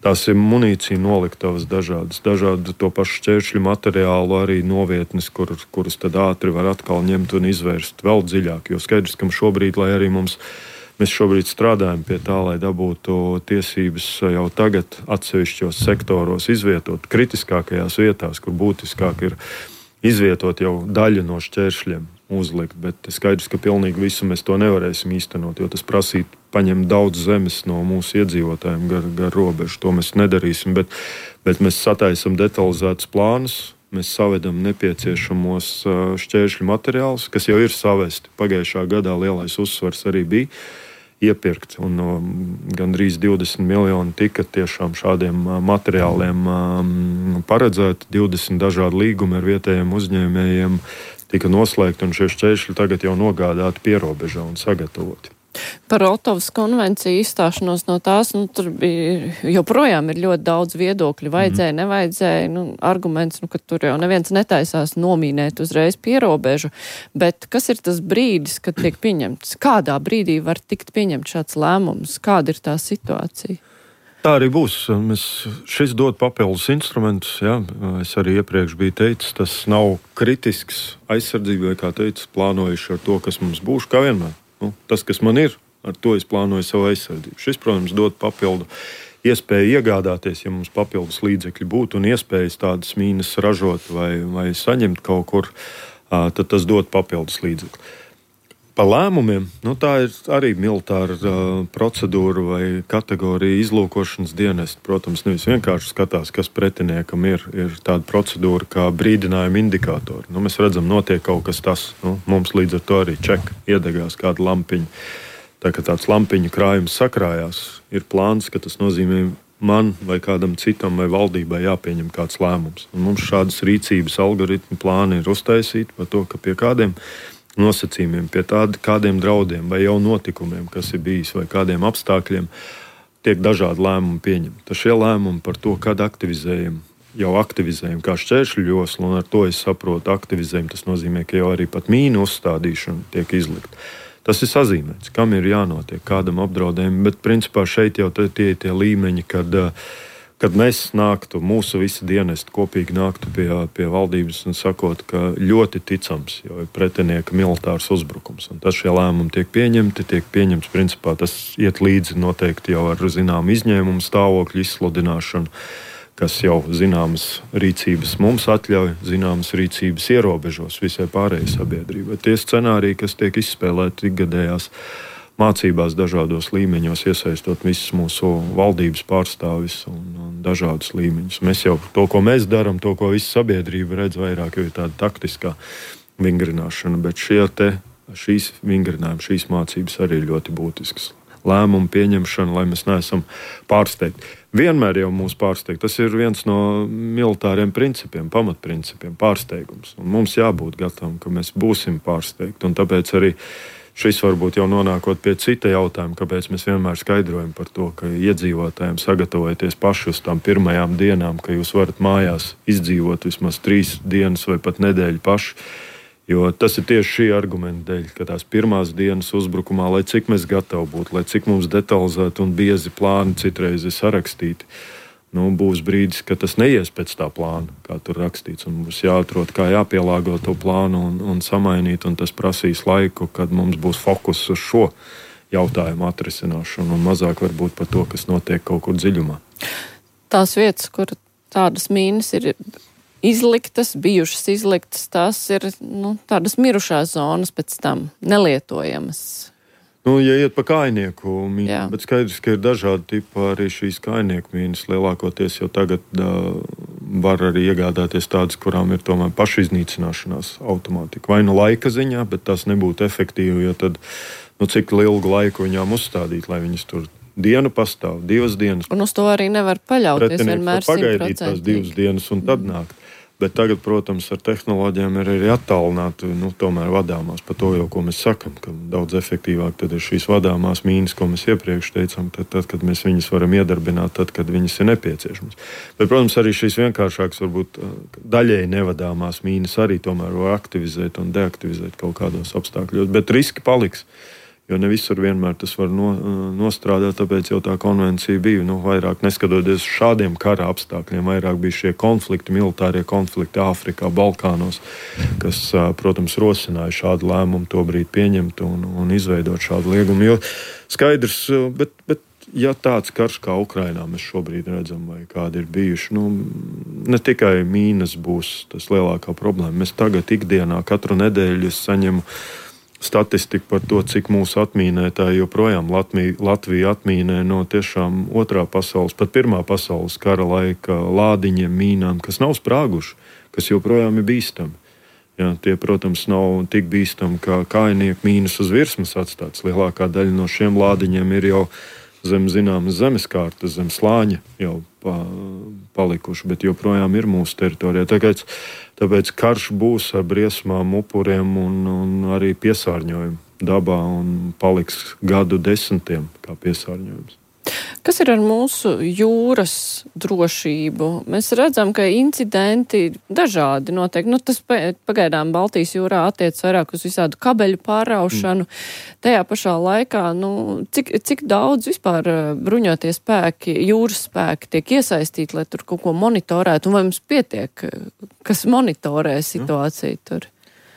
Tās ir munīcija noliktavas dažādas, dažādu to pašu šķēršļu materiālu arī novietnes, kur, kuras tad ātri var atkal ņemt un izvērst vēl dziļāk. Jo skaidrs, ka šobrīd, lai arī mums Mēs šobrīd strādājam pie tā, lai dabūtu tiesības jau tagad atsevišķos sektoros izvietot kritiskākajās vietās, kur būtiskāk ir izvietot jau daļu no šķēršļiem uzlikt. Bet skaidrs, ka pilnīgi visu mēs to nevarēsim īstenot, jo tas prasītu paņemt daudz zemes no mūsu iedzīvotājiem gar, gar robežu. To mēs nedarīsim, bet, bet mēs sataisam detalizētus plānus. Mēs savedam nepieciešamos šķēršļu materiālus, kas jau ir savesti. Pagājušā gadā lielais uzsvars arī bija iepirkt, un no, gandrīz divdesmit miljoni tika tiešām šādiem materiāliem um, paredzēti. divdesmit dažādi līgumi ar vietējiem uzņēmējiem tika noslēgti, un šie šķēršļi tagad jau nogādāti pierobežā un sagatavoti. Par Otavas konvenciju izstāšanos no tās, nu, tur bija, joprojām ir ļoti daudz viedokļu, vajadzēja, nevajadzēja, nu, arguments, nu, ka tur jau neviens netaisās nomīnēt uzreiz pierobežu, bet kas ir tas brīdis, kad tiek pieņemts? Kādā brīdī var tikt pieņemt šāds lēmums? Kāda ir tā situācija? Tā arī būs. Mēs šis dod papildus instrumentus. Jā. Es arī iepriekš biju teicis, tas nav kritisks aizsardzībai, kā teicu, plānojuši ar to, kas mums būs, kā vienmēr. Nu, tas, kas man ir, ar to es plānoju savu aizsardzību. Šis, protams, dod papildu iespēju iegādāties, ja mums papildus līdzekļi būtu un iespējas tādas mīnas ražot vai, vai saņemt kaut kur, tad tas dod papildus līdzekļi. Pa lēmumiem, nu, tā ir arī militāra uh, procedūra vai kategorija izlūkošanas dienesta. Protams, nevis vienkārši skatās, kas pretiniekam ir. Ir tāda procedūra kā brīdinājuma indikātori. Nu, mēs redzam, notiek kaut kas tas. Nu, mums līdz ar to arī čeka iedegās kāda lampiņa. Tā kā tāds lampiņu krājums sakrājās, ir plāns, ka tas nozīmē man vai kādam citam vai valdībai jāpieņem kāds lēmums. Un mums šādas rīcības algoritmu plāni ir uztaisīti par to, ka pie kādiem nosacījumiem, pie tādi, kādiem draudiem vai jau notikumiem, kas ir bijis, vai kādiem apstākļiem, tiek dažādi lēmumi pieņemti. Tad šie lēmumi par to, kad aktivizējam, jau aktivizējam kā šķēršļu joslu, un ar to es saprotu, aktivizējam, tas nozīmē, ka jau arī pat mīnu uzstādīšana tiek izlikta. Tas ir sazīmēts, kam ir jānotiek, kādam apdraudējumam, bet principā šeit jau tie ir tie līmeņi, kad kad mēs nāktu, mūsu visi dienesti kopīgi nāktu pie, pie valdības un sakot, ka ļoti ticams, jo ir pretinieka militārs uzbrukums. Un tas šie lēmumi tiek pieņemti, tiek pieņemts, principā tas iet līdzi noteikti jau ar zināmu izņēmumu stāvokļu izsludināšanu, kas jau zināmas rīcības mums atļauj, zināmas rīcības ierobežos visai pārējai sabiedrībai. Tie scenāriji, kas tiek izspēlēti ikgadējās mācībās dažādos līmeņos, iesaistot visus mūsu valdības pārstāvis un, un dažādus līmeņus. Mēs jau to, ko mēs darām, to, ko visa sabiedrība redz vairāk, jau ir tāda taktiskā vingrināšana, bet šie te, šīs vingrinājumi, šīs mācības arī ir ļoti būtiskas. Lēmumu pieņemšana, lai mēs neesam pārsteigti. Vienmēr jau mūs pārsteigt. Tas ir viens no militāriem principiem, pamatprincipiem, pārsteigums. Un mums jābūt gatavam, ka mēs būsim pārsteigti, un tāpēc arī šis varbūt jau nonākot pie cita jautājuma, kāpēc mēs vienmēr skaidrojam par to, ka iedzīvotājiem sagatavojoties paši uz tām pirmajām dienām, ka jūs varat mājās izdzīvot vismaz trīs dienas vai pat nedēļu paši. Jo tas ir tieši šī argumenta dēļ, ka tās pirmās dienas uzbrukumā, lai cik mēs gatavi būtu, lai cik mums detalizēti un biezi plāni citreiz ir sarakstīti, nu, būs brīdis, ka tas neies pēc tā plāna, kā tur rakstīts, un mums jāatrod, kā jāpielāgo to plānu un, un samainīt, un tas prasīs laiku, kad mums būs fokus uz šo jautājumu atrisināšanu un mazāk varbūt par to, kas notiek kaut kur dziļumā. Tās vietas, kur tādas mīnas ir izliktas, bijušas izliktas, tās ir nu, tādas mirušās zonas pēc tam, nelietojamas. Nu, ja iet pa kājnieku mīnu, bet skaidrs, ka ir dažādi tipi arī šīs kājnieku mīnas. Lielākoties jau tagad uh, var arī iegādāties tādas, kurām ir tomēr pašiznīcināšanās automātika. Vai nu laika ziņā, bet tas nebūtu efektīvi, jo tad, nu, cik ilgu laiku viņām uzstādīt, lai viņas tur dienu pastāv, divas dienas. Un uz to arī nevar paļauties vienmēr simtprocentīgi. Pagaidīt tās divas dienas un tad mm. nākt. Bet tagad, protams, ar tehnoloģijām ir arī attālināti, nu, tomēr vadāmās. Par to jau, ko mēs sakam, ka daudz efektīvāk tad ir šīs vadāmās mīnas, ko mēs iepriekš teicām, tad, tad, kad mēs viņas varam iedarbināt, tad, kad viņas ir nepieciešamas. Bet, protams, arī šīs vienkāršākas, varbūt daļēji nevadāmās mīnas arī tomēr var aktivizēt un deaktivizēt kaut kādos apstākļos. Bet riski paliks. Jo ne visur vienmēr tas var no, nostrādāt, tāpēc jau tā konvencija bija, nu, vairāk neskatoties šādiem kara apstākļiem, vairāk bija šie konflikti, militārie konflikti Āfrikā, Balkānos, kas, protams, rosināja šādu lēmumu tobrīd pieņemt un, un izveidot šādu liegumu. Jo skaidrs, bet, bet ja tāds karš kā Ukrainā mēs šobrīd redzam, vai kādi ir bijuši, nu, ne tikai mīnas būs tas lielākā problēma. Mēs tagad ikdienā katru nedēļu saņemu statistika par to, cik mūsu atmīnētāji joprojām Latviju, Latviju atmīnē no tiešām otrā pasaules, pat pirmā pasaules kara laika lādiņiem, mīnām, kas nav sprāguši, kas joprojām ir bīstami. Jā, tie, protams, nav tik bīstami, kā kājnieku mīnas uz virsmas atstāts. Lielākā daļa no šiem lādiņiem ir jau zem zināmas zemeskārtas, zem slāņa jau pa, palikuši, bet joprojām ir mūsu teritorijā. Tāpēc, tāpēc karš būs ar briesmām, upuriem un, un arī piesārņojumu dabā un paliks gadu desmitiem kā piesārņojums. Kas ir ar mūsu jūras drošību? Mēs redzam, ka incidenti dažādi notiek. Nu, tas pagaidām Baltijas jūrā attiec vairāk uz visādu kabeļu pāraušanu. Mm. Tajā pašā laikā, nu, cik, cik daudz vispār bruņotie spēki, jūras spēki tiek iesaistīti, lai tur kaut ko monitorētu? Un vai mums pietiek, kas monitorē situāciju mm. tur?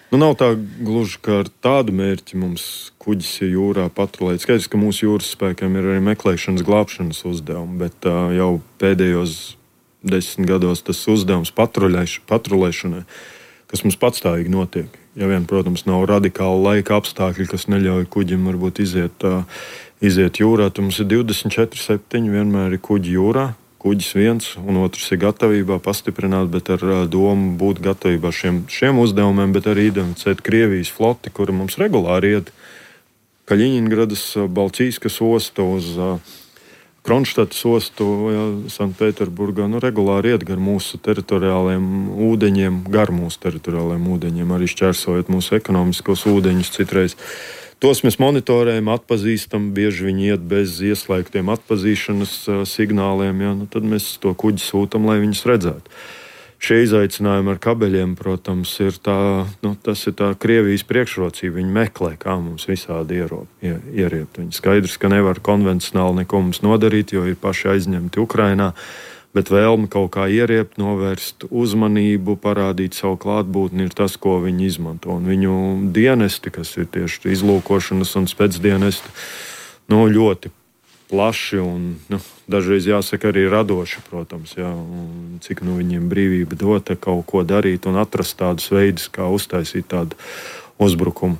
Nu, nav tā gluži, ka ar tādu mērķi mums kuģis ir jūrā patrulēt. Skaidrs, ka mūsu jūras spēkiem ir arī meklēšanas, glābšanas uzdevumi, bet uh, jau pēdējos desmit gados tas uzdevums patrulēšanai, kas mums patstāvīgi notiek. Ja vien, protams, nav radikāli laika apstākļi, kas neļauj kuģim varbūt iziet, uh, iziet jūrā, tad mums ir divdesmit četri septiņi vienmēr ir kuģi jūrā. Kuģis viens un otrs ir gatavībā pastiprināt, bet ar uh, domu būt gatavībā šiem, šiem uzdevumiem, bet arī identificēt Krievijas floti, kura mums regulāri iet Kaļiņingradas, uh, Balčīskas ostu uz uh, Kronštatas ostu, ja, Sanktpēterburgā, nu, regulāri iet gar mūsu teritoriālajiem ūdeņiem, gar mūsu teritoriālajiem ūdeņiem, arī šķērsojot mūsu ekonomiskos ūdeņus citreiz. Tos mēs monitorējam, atpazīstam, bieži viņi iet bez ieslēgtiem atpazīšanas uh, signāliem, ja, nu, tad mēs to kuģi sūtam, lai viņus redzētu. Šie izaicinājumi ar kabeļiem, protams, ir tā, nu, tas ir tā Krievijas priekšrocība. Viņi meklē, kā mums visādi ierop, ie, ieriept. Viņi skaidrs, ka nevar konvencionāli neko mums nodarīt, jo ir paši aizņemti Ukrainā, bet vēlme kaut kā ieriept, novērst uzmanību, parādīt savu klātbūtni ir tas, ko viņi izmanto. Un viņu dienesti, kas ir tieši izlūkošanas un spēcdienesti, nu, ļoti plaši un, nu, dažreiz jāsaka arī radoši, protams, jā, un cik nu viņiem brīvība dota kaut ko darīt un atrast tādus veidus, kā uztaisīt tādu uzbrukumu.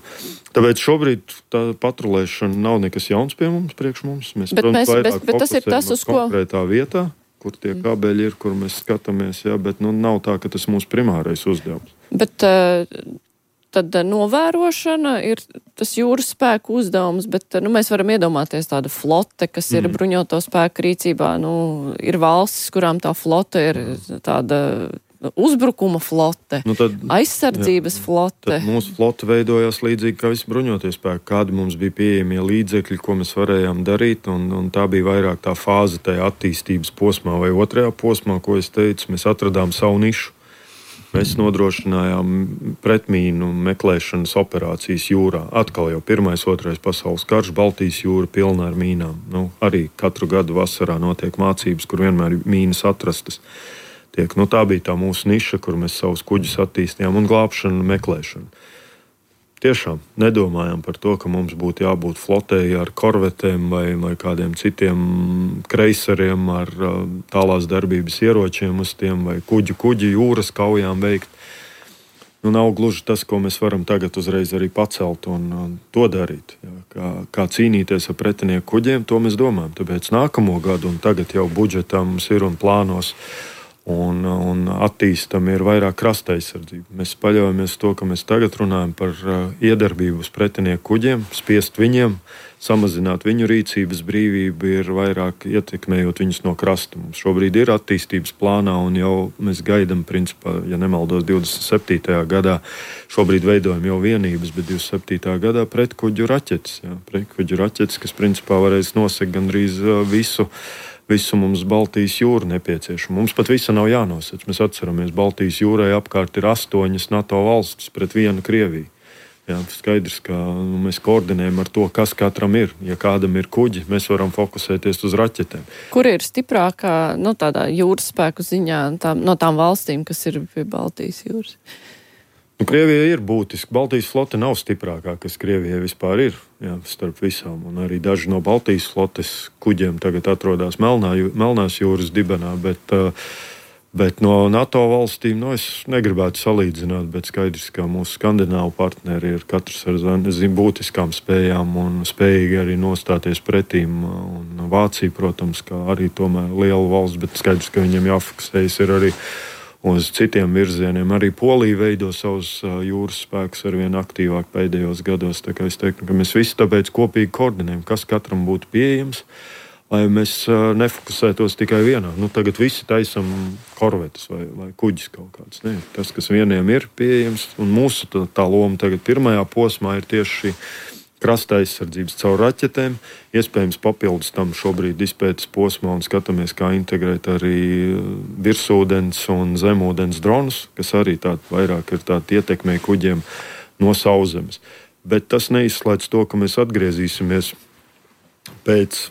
Tāpēc šobrīd tā patrulēšana nav nekas jauns pie mums, priekš mums. Mēs, bet, protams, mēs, vairāk bet, bet tas ir tas, uz ko konkrētā vietā, kur tie kabeļi ir, kur mēs skatāmies, jā, bet nu, nav tā, ka tas mūsu primārais uzdevums. Bet tad novērošana ir tas jūras spēku uzdevums, bet nu, mēs varam iedomāties tādu flote, kas ir mm. bruņoto spēku rīcībā. Nu, ir valstis, kurām tā flote ir tāda uzbrukuma flote, nu tad, aizsardzības jā, flote. Tad mūsu flote veidojās līdzīgi kā visi bruņotie spēki. Kādi mums bija pieejamie līdzekļi, ko mēs varējām darīt, un, un tā bija vairāk tā fāze tajā attīstības posmā vai otrajā posmā, ko es teicu. Mēs atradām savu nišu. Mēs nodrošinājām pretmīnu meklēšanas operācijas jūrā. Atkal jau pirmais, otrais pasaules karš, Baltijas jūra pilna ar mīnām. Nu, arī katru gadu vasarā notiek mācības, kur vienmēr mīnas atrastas. Tiek. Nu, tā bija tā mūsu niša, kur mēs savus kuģus attīstījām, un glābšanu, meklēšanu. tiešām nedomājam par to, ka mums būtu jābūt flotēji ar korvetēm vai, vai kādiem citiem kreiseriem ar tālās darbības ieročiem uz tiem vai kuģi, kuģi jūras kaujām veikt. Nu, nav gluži tas, ko mēs varam tagad uzreiz arī pacelt un, un to darīt. Jā, kā, kā cīnīties ar pretinieku kuģiem, to mēs domājam. Tāpēc nākamo gadu un tagad jau budžetā mums ir un plānos un, un attīstam ir vairāk krasta aizsardzība. Mēs paļaujamies to, ka mēs tagad runājam par uh, iedarbību uz pretinieku kuģiem, spiest viņiem, samazināt viņu rīcības brīvību, ir vairāk ietekmējot viņus no krasta. Mums šobrīd ir attīstības plānā un jau mēs gaidam, principā, ja nemaldos, divdesmit septītajā gadā, šobrīd veidojam jau vienības, bet divdesmit septītajā gadā pretkuģu raķetes. Jā, pretkuģu raķetes, kas principā varēs nosegt gandrīz uh, visu Visu mums Baltijas jūra nepieciešama. Mums pat visa nav jānosec. Mēs atceramies, Baltijas jūrai apkārt ir astoņas NATO valstis pret vienu Krieviju. Jā, skaidrs, ka nu, mēs koordinējam ar to, kas katram ir. Ja kādam ir kuģi, mēs varam fokusēties uz raķetēm. Kur ir stiprākā, nu, tādā jūras spēku ziņā tā, no tām valstīm, kas ir pie Baltijas jūras? Nu, Krievija ir būtiski. Baltijas flote nav stiprākā, kas Krievijai vispār ir, jā, starp visām. Un arī daži no Baltijas flotes kuģiem tagad atrodas Melnā, Melnās jūras dibenā, bet, bet no NATO valstīm, nu, es negribētu salīdzināt, bet skaidrs, ka mūsu skandināvu partneri ir katrs ar zin, būtiskām spējām un spējīgi arī nostāties pretīm. Un Vācija, protams, kā arī tomēr liela valsts, bet skaidrs, ka viņiem jāfokusējas ir arī uz citiem virzieniem. Arī Polija veido savus jūras spēkus arvien aktīvāk pēdējos gados. Tā kā es teiktu, ka mēs visi tāpēc kopīgi koordinējam, kas katram būtu pieejams, lai mēs nefokusētos tikai vienā. Nu, tagad visi taisam korvetes vai, vai kuģis kaut kāds. Ne, tas, kas vieniem ir pieejams, un mūsu tā, tā loma tagad pirmajā posmā ir tieši šī krasta aizsardzības caur raķetēm. Iespējams, papildus tam šobrīd izpētes posmā un skatāmies, kā integrēt arī virsūdens un zemūdens dronus, kas arī tād vairāk ir tādi ietekmē kuģiem no sauszemes. Bet tas neizslēdz to, ka mēs atgriezīsimies pēc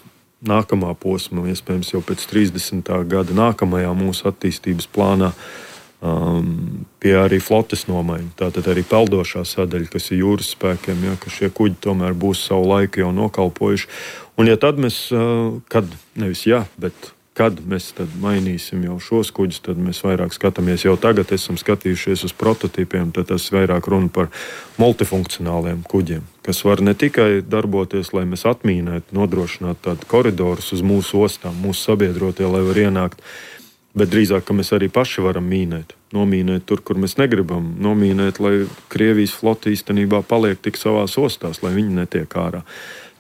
nākamā posma, iespējams jau pēc trīsdesmitā gada nākamajā mūsu attīstības plānā, Um, pie arī flotes nomaiņa. Tātad arī peldošā sadaļa, kas ir jūras spēkiem, ja, ka šie kuģi tomēr būs savu laiku jau nokalpojuši. Un ja tad mēs, uh, kad, nevis jā, bet kad mēs tad mainīsim jau šos kuģus, tad mēs vairāk skatāmies. Jau tagad esam skatījušies uz prototīpiem, tad tas vairāk runa par multifunkcionāliem kuģiem, kas var ne tikai darboties, lai mēs atmīnētu, nodrošinātu tādu koridorus uz mūsu ostām, mūsu sabiedrotie, lai var ienākt, bet drīzāk, ka mēs arī paši varam mīnēt. Nomīnēt tur, kur mēs negribam. Nomīnēt, lai Krievijas flote īstenībā paliek tik savās ostās, lai viņi netiek ārā.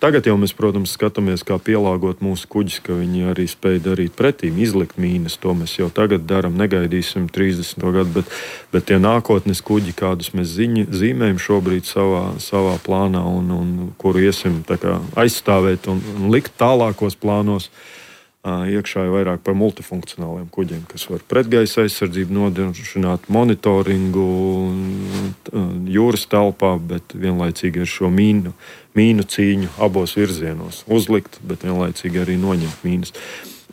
Tagad jau mēs, protams, skatāmies, kā pielāgot mūsu kuģis, ka viņi arī spēj darīt pretīm, izlikt mīnas. To mēs jau tagad daram, negaidīsim trīsdesmito gadu, bet, bet tie nākotnes kuģi, kādus mēs ziņi, zīmējam šobrīd savā, savā plānā un, un kuru iesim tā kā aizstāvēt un, un likt tālākos plānos, iekšā ir vairāk par multifunkcionāliem kuģiem, kas var pretgaisa aizsardzību nodrošināt, monitoringu jūras telpā, bet vienlaicīgi ar šo mīnu, mīnu cīņu abos virzienos uzlikt, bet vienlaicīgi arī noņemt mīnas.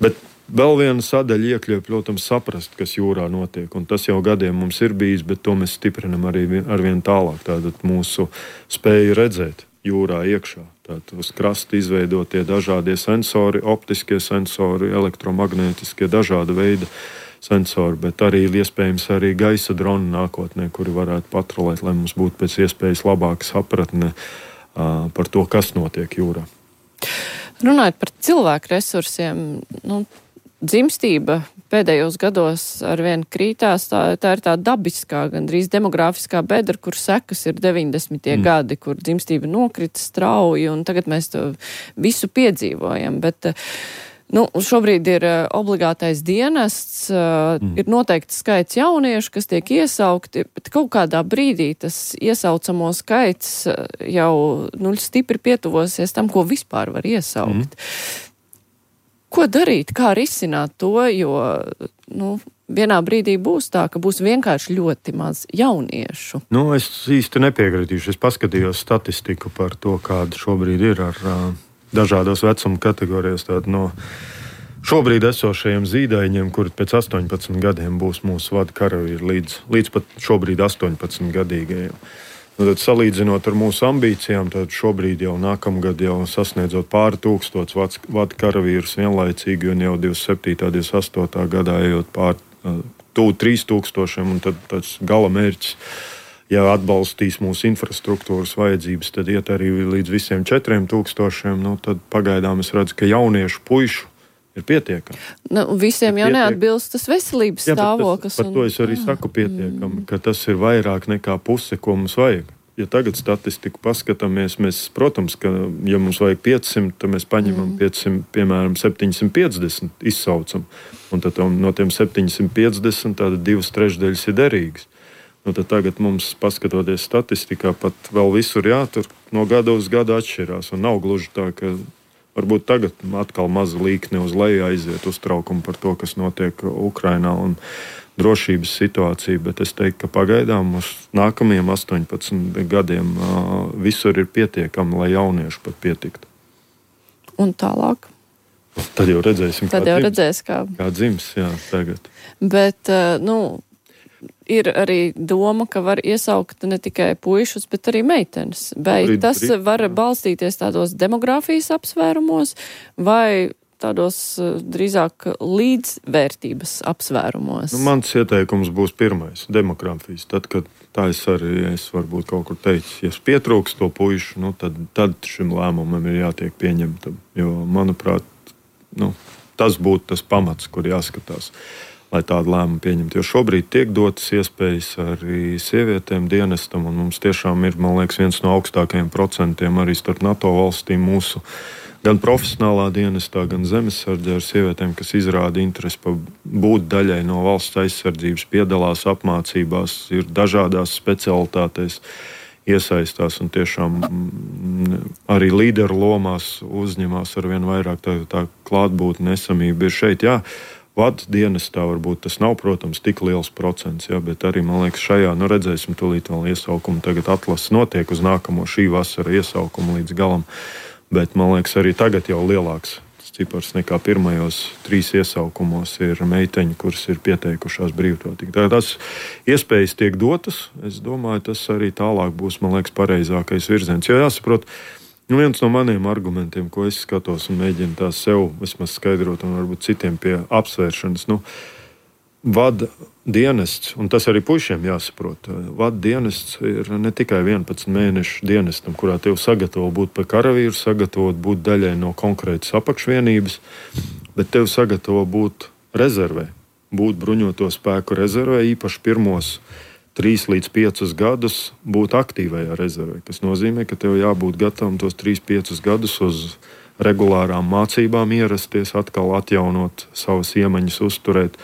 Bet vēl viena sadaļa iekļauj, protams, saprast, kas jūrā notiek, un tas jau gadiem mums ir bijis, bet to mēs stiprinam arī arvien tālāk. Tātad mūsu spēju redzēt jūrā iekšā. Tātad uz krasta izveidotie dažādie sensori, optiskie sensori, elektromagnētiskie, dažāda veida sensori, bet arī iespējams arī gaisa droni nākotnē, kuri varētu patrolēt, lai mums būtu pēc iespējas labāka sapratne uh, par to, kas notiek jūrā. Runājot par cilvēku resursiem, nu, dzimstība pēdējos gados arvien krītās, tā, tā ir tā dabiskā, gandrīz demogrāfiskā bedra, kur sekas ir deviņdesmitie mm. gadi, kur dzimstība nokrita strauji, un tagad mēs to visu piedzīvojam. Bet, nu, šobrīd ir obligātais dienests, mm. ir noteikti skaits jauniešu, kas tiek iesaukti, bet kaut kādā brīdī tas iesaucamo skaits jau nu, stipri pietuvosies tam, ko vispār var iesaukt. Mm. Ko darīt, kā risināt to, jo nu, vienā brīdī būs tā, ka būs vienkārši ļoti maz jauniešu? Nu, es īsti nepiekritīšu. Es paskatījos statistiku par to, kāda šobrīd ir ar uh, dažādos vecuma kategorijās. Tātad no šobrīd esošajiem zīdaiņiem, kuri pēc astoņpadsmit gadiem būs mūsu vada karavīri līdz, līdz pat šobrīd astoņpadsmit gadīgajiem. Nu, tad, salīdzinot ar mūsu ambīcijām, tad šobrīd jau nākamgad jau sasniedzot pāri tūkstots vada karavīrus vienlaicīgi, un jau divdesmit septītā, divdesmit astotā gadā ejot pāri tuvu trīs tūkstošiem, un tad tāds gala mērķis, ja atbalstīs mūsu infrastruktūras vajadzības, tad iet arī līdz visiem četriem tūkstošiem, nu, tad pagaidām es redzu, ka jauniešu puišu ir pietiekami. Nu, visiem jau neatbilst tas veselības jā, stāvoklis. Par to es arī jā. saku pietiekami, ka tas ir vairāk nekā puse, ko mums vajag. Ja tagad statistiku paskatāmies, mēs, protams, ka, ja mums vajag piecsimt, tad mēs paņemam mm. piecsimt, piemēram, septiņsimt piecdesmit izsaucam. Un tad no tiem septiņsimt piecdesmit tāda divas trešdaļas ir derīgas. Nu, tad tagad mums, paskatoties statistikā, pat vēl visur jātur no gada uz gadu atšķirās. Un nav gluži tā, ka varbūt tagad atkal maza līkne uz leju aiziet uztraukumu par to, kas notiek Ukrainā un drošības situācija, bet es teiktu, ka pagaidām uz nākamajiem astoņpadsmit gadiem uh, visur ir pietiekami, lai jaunieši pat pietiktu. Un tālāk? Tad jau redzēsim, Tad kā, jau dzims, redzēs, kā... kā dzims, jā, tagad. Bet, uh, nu, ir arī doma, ka var iesaukt ne tikai puišus, bet arī meitenes. Vai brīd, tas brīd, var balstīties tādos demogrāfijas apsvērumos vai tādos drīzāk līdzvērtības apsvērumos? Nu, mans ieteikums būs pirmais - demogrāfijas. Tad, kad tā es arī es varbūt kaut kur teicu, ja pietrūks to puišu, nu, tad, tad šim lēmumam ir jātiek pieņemtam. Jo, manuprāt, nu, tas būtu tas pamats, kur jāskatās, lai tādu lēmumu pieņemtu. Jo šobrīd tiek dotas iespējas arī sievietēm dienestam, un mums tiešām ir, man liekas, viens no augstākajiem procentiem arī starp NATO valstīm mūsu gan profesionālā dienestā, gan zemesardzē ar sievietēm, kas izrāda interesi būt daļai no valsts aizsardzības, piedalās apmācībās, ir dažādās specialitātēs iesaistās un tiešām arī līderu lomās uzņemās ar vien vairāk. Tā, tā klātbūtne, esamība ir šeit. Jā, vada dienestā varbūt tas nav, protams, tik liels procents, jā, bet arī, man liekas, šajā, nu redzēsim, tūlīt vēl iesaukumu, tagad atlases notiek uz nākamo šī vasara iesaukumu līdz galam. Bet, man liekas, arī tagad jau lielāks cipars nekā pirmajos trīs iesaukumos ir meiteņi, kuras ir pieteikušās brīvprātīgi. Tās iespējas tiek dotas. Es domāju, tas arī tālāk būs, man liekas, pareizākais virziens. Jo jāsaprot, nu viens no maniem argumentiem, ko es skatos un mēģinu tās sev vismaz skaidrot un varbūt citiem pie apsvēršanas, nu, vada dienests, un tas arī puišiem jāsaprot, vada dienests ir ne tikai vienpadsmit mēnešu dienestam, kurā tev sagatavo būt par karavīru, sagatavot būt daļai no konkrētas apakšvienības, bet tev sagatavo būt rezervē, būt bruņoto spēku rezervē, īpaši pirmos trīs līdz piecus gadus būt aktīvajā rezervē, kas nozīmē, ka tev jābūt gatavam tos trīs piecus gadus uz regulārām mācībām ierasties, atkal atjaunot savas iemaņas, uzturēt.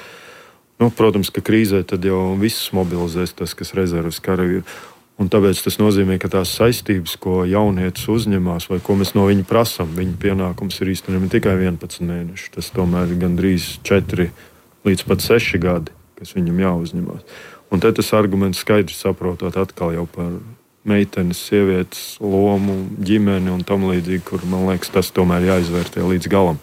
Nu, protams, ka krīzē tad jau visus mobilizēs tas, kas rezerves karavīri. Un tāpēc tas nozīmē, ka tās saistības, ko jaunietis uzņemās vai ko mēs no viņa prasām, viņa pienākums ir īstenībā ne tikai vienpadsmit mēneši. Tas tomēr ir gandrīz četri līdz pat seši gadi, kas viņam jāuzņemās. Un te tas arguments skaidri saprotot atkal jau par meitenes, sievietes lomu, ģimeni un tam līdzīgi, kur, man liekas, tas tomēr jāizvērtē līdz galam.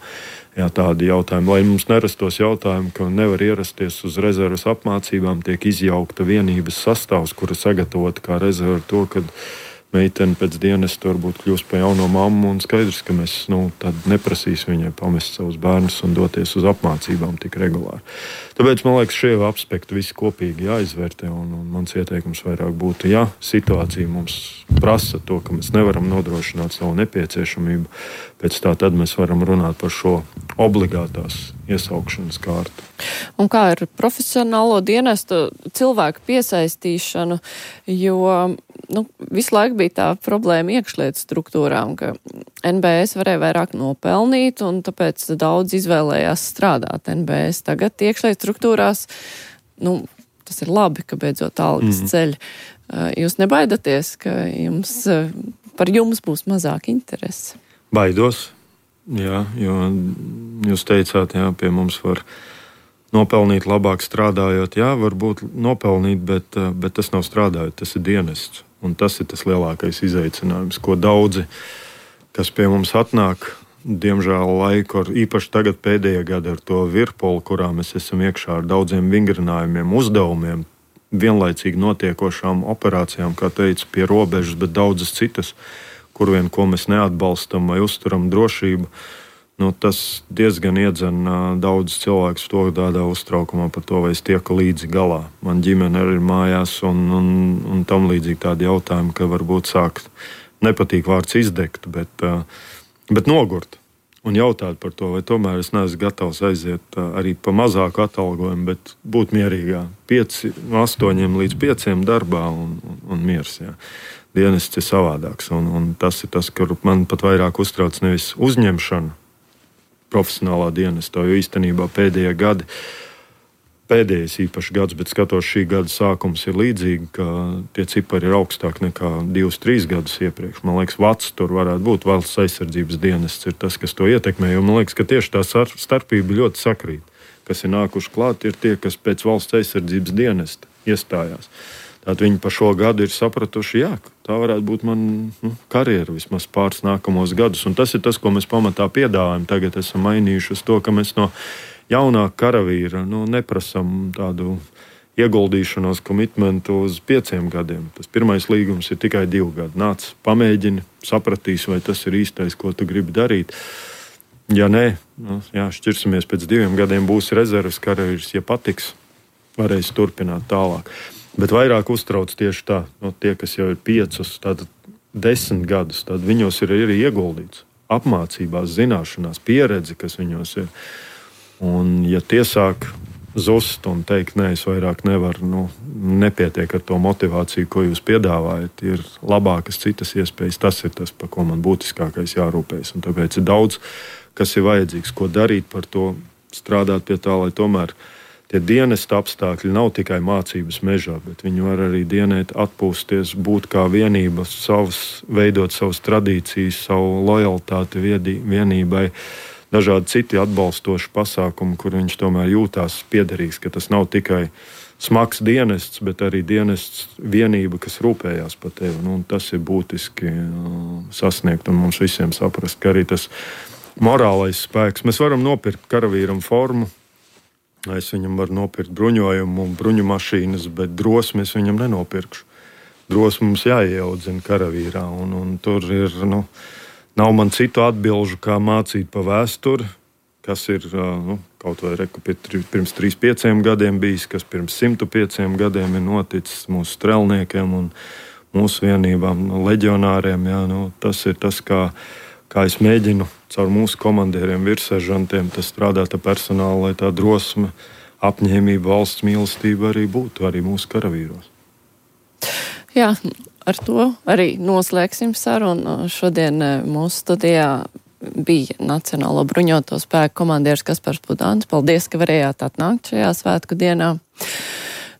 Jā, tādi jautājumi. Lai mums nerastos jautājumi, ka nevar ierasties uz rezerves apmācībām, tiek izjaukta vienības sastāvs, kura sagatavota kā rezerve to, kad meitene pēc dienesta varbūt kļūst par jauno mammu, un skaidrs, ka mēs nu, tad neprasīs viņai pamest savus bērnus un doties uz apmācībām tik regulāri. Tāpēc, man liekas, šie aspekti visi kopīgi jāizvērtē, un, un mans ieteikums vairāk būtu, ja situācija mums prasa to, ka mēs nevaram nodrošināt savu nepieciešamību, pēc tā tad mēs varam runāt par šo obligātās iesaukšanas kārtu. Un kā ar profesionālo dienestu cilvēku piesaistīšanu, jo nu, visu laiku bija tā problēma iekšlietu struktūrām, ka N B S varēja vairāk nopelnīt, un tāpēc daudz izvēlējās strādāt N B S. Tagad iekšlietu struktūrās, nu, tas ir labi, ka beidzot algas mm. ceļ. Jūs nebaidaties, ka jums, par jums būs mazāk interesi? Baidos, jā, jo jūs teicāt, jā, pie mums var nopelnīt labāk strādājot. Jā, varbūt nopelnīt, bet, bet tas nav strādājot, tas ir dienests. Un tas ir tas lielākais izaicinājums, ko daudzi, kas pie mums atnāk, diemžēl laiku, ar, īpaši tagad pēdējā gada ar to virpolu, kurā mēs esam iekšā ar daudziem vingrinājumiem, uzdevumiem, vienlaicīgi notiekošām operācijām, kā teicu, pie robežas, bet daudzas citas, kur vien ko mēs neatbalstam vai uzturam drošību. Nu, tas diezgan iedzen daudz cilvēku to tādā uztraukumā par to, vai es tieku līdzi galā. Man ģimene arī ir mājās un, un, un tam līdzīgi tādi jautājumi, ka varbūt sākt nepatīk vārds izdegt, bet, bet nogurt un jautāt par to, vai tomēr es neesmu gatavs aiziet arī pa mazāku atalgojumu, bet būt mierīgā. Pieci, no astoņiem līdz pieciem darbā un, un, un miers. Jā. Dienests ir savādāks un, un tas ir tas, kur man pat vairāk uztrauc nevis uzņemšana profesionālā dienestā, jo īstenībā pēdējie gadi, pēdējais īpaši gads, bet skatos šī gada sākums ir līdzīgi, ka tie cipari ir augstāki nekā divus, trīs gadus iepriekš. Man liekas, Vats tur varētu būt, valsts aizsardzības dienests ir tas, kas to ietekmē, jo man liekas, ka tieši tā starpība ļoti sakrīt. Kas ir nākuši klāt, ir tie, kas pēc valsts aizsardzības dienesta iestājās. Tātad viņi pa šo gadu ir sapratuši, jā, tā varētu būt man nu, karjera vismaz pāris nākamos gadus. Un tas ir tas, ko mēs pamatā piedāvājam. Tagad esam mainījuši uz to, ka mēs no jaunāka karavīra nu, neprasam tādu ieguldīšanos, komitmentu uz pieciem gadiem. Tas pirmais līgums ir tikai divi gadi. Nāc, pamēģini, sapratīs, vai tas ir īstais, ko tu gribi darīt. Ja nē, nu, jā, šķirsimies pēc diviem gadiem, būs rezerves karavīrs, ja patiks, varēs turpināt tālāk. Bet vairāk uztrauc tieši tā, no tie, kas jau ir piecus, tātad desmit gadus, tad viņos ir arī ieguldīts apmācībās, zināšanās, pieredze, kas viņos ir. Un ja tie sāk zust un teikt, nē, es vairāk nevaru, nu, nepietiek ar to motivāciju, ko jūs piedāvājat, ir labākas citas iespējas, tas ir tas, par ko man būtiskākais jārūpējas. Un tāpēc ir daudz, kas ir vajadzīgs, ko darīt par to, strādāt pie tā, lai tomēr tie dienesta apstākļi nav tikai mācības mežā, bet viņi var arī dienēt, atpūsties, būt kā vienība, savas, veidot savas tradīcijas, savu lojalitāti viedī, vienībai, dažādi citi atbalstoši pasākumi, kur viņš tomēr jūtās piederīgs, ka tas nav tikai smags dienests, bet arī dienests vienība, kas rūpējās par tevi. Nu, tas ir būtiski sasniegt un mums visiem saprast, ka arī tas morālais spēks. Mēs varam nopirkt karavīram formu, es viņam varu nopirkt bruņojumu un bruņu mašīnas, bet drosmi es viņam nenopirkšu. Drosmi mums jāieaudzina karavīrā, un, un tur ir, nu, nav man citu atbilžu, kā mācīt pa vēsturi, kas ir, nu, kaut vai reku pirms trīs, pieciem gadiem bijis, kas pirms simtu pieciem gadiem ir noticis mūsu strelniekiem un mūsu vienībām, nu, leģionāriem, jā, nu, tas ir tas, kā kā es mēģinu caur mūsu komandieriem, virsseržantiem, tas strādāt ar personālu, lai tā drosme, apņēmība, valsts mīlestība arī būtu arī mūsu karavīros. Jā, ar to arī noslēgsim sarunu. Šodien mūsu studijā bija Nacionālo bruņoto spēku komandieris Kaspars Pudāns. Paldies, ka varējāt atnākt šajā svētku dienā.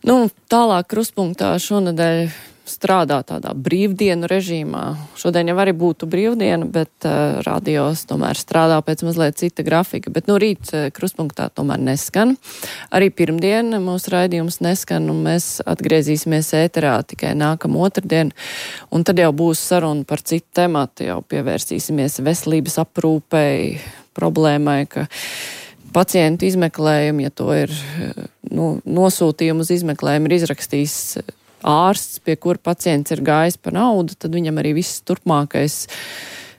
Nu, tālāk Krustpunktā šonadēļ strādā tādā brīvdienu režīmā. Šodien jau arī būtu brīvdiena, bet uh, radios tomēr strādā pēc mazliet cita grafika. Bet nu rīt uh, Krustpunktā tomēr neskan. Arī pirmdien mūsu raidījums neskan, un mēs atgriezīsimies ēterā tikai nākamā otrdien. Un tad jau būs saruna par citu tematu, jau pievērsīsimies veselības aprūpei, problēmai, ka pacientu izmeklējumu, ja to ir nu, nosūtījumu uz izmeklējumu ir izrakstījis ārsts, pie kura pacients ir gājis par naudu, tad viņam arī viss turpmākais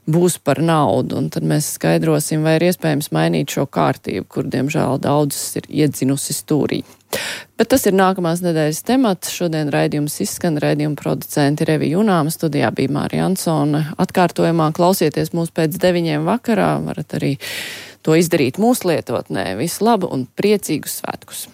būs par naudu. Un tad mēs skaidrosim, vai ir iespējams mainīt šo kārtību, kur, diemžēl, daudzas ir iedzinusi stūrī. Bet tas ir nākamās nedēļas temats. Šodien raidījums izskan, raidījuma producenti Revija Junāma, studijā bija Mārija Ansone. Atkārtojumā klausieties mūs pēc deviņiem vakarā, varat arī to izdarīt mūsu lietotnē. Visu labu un priecīgus svētkus!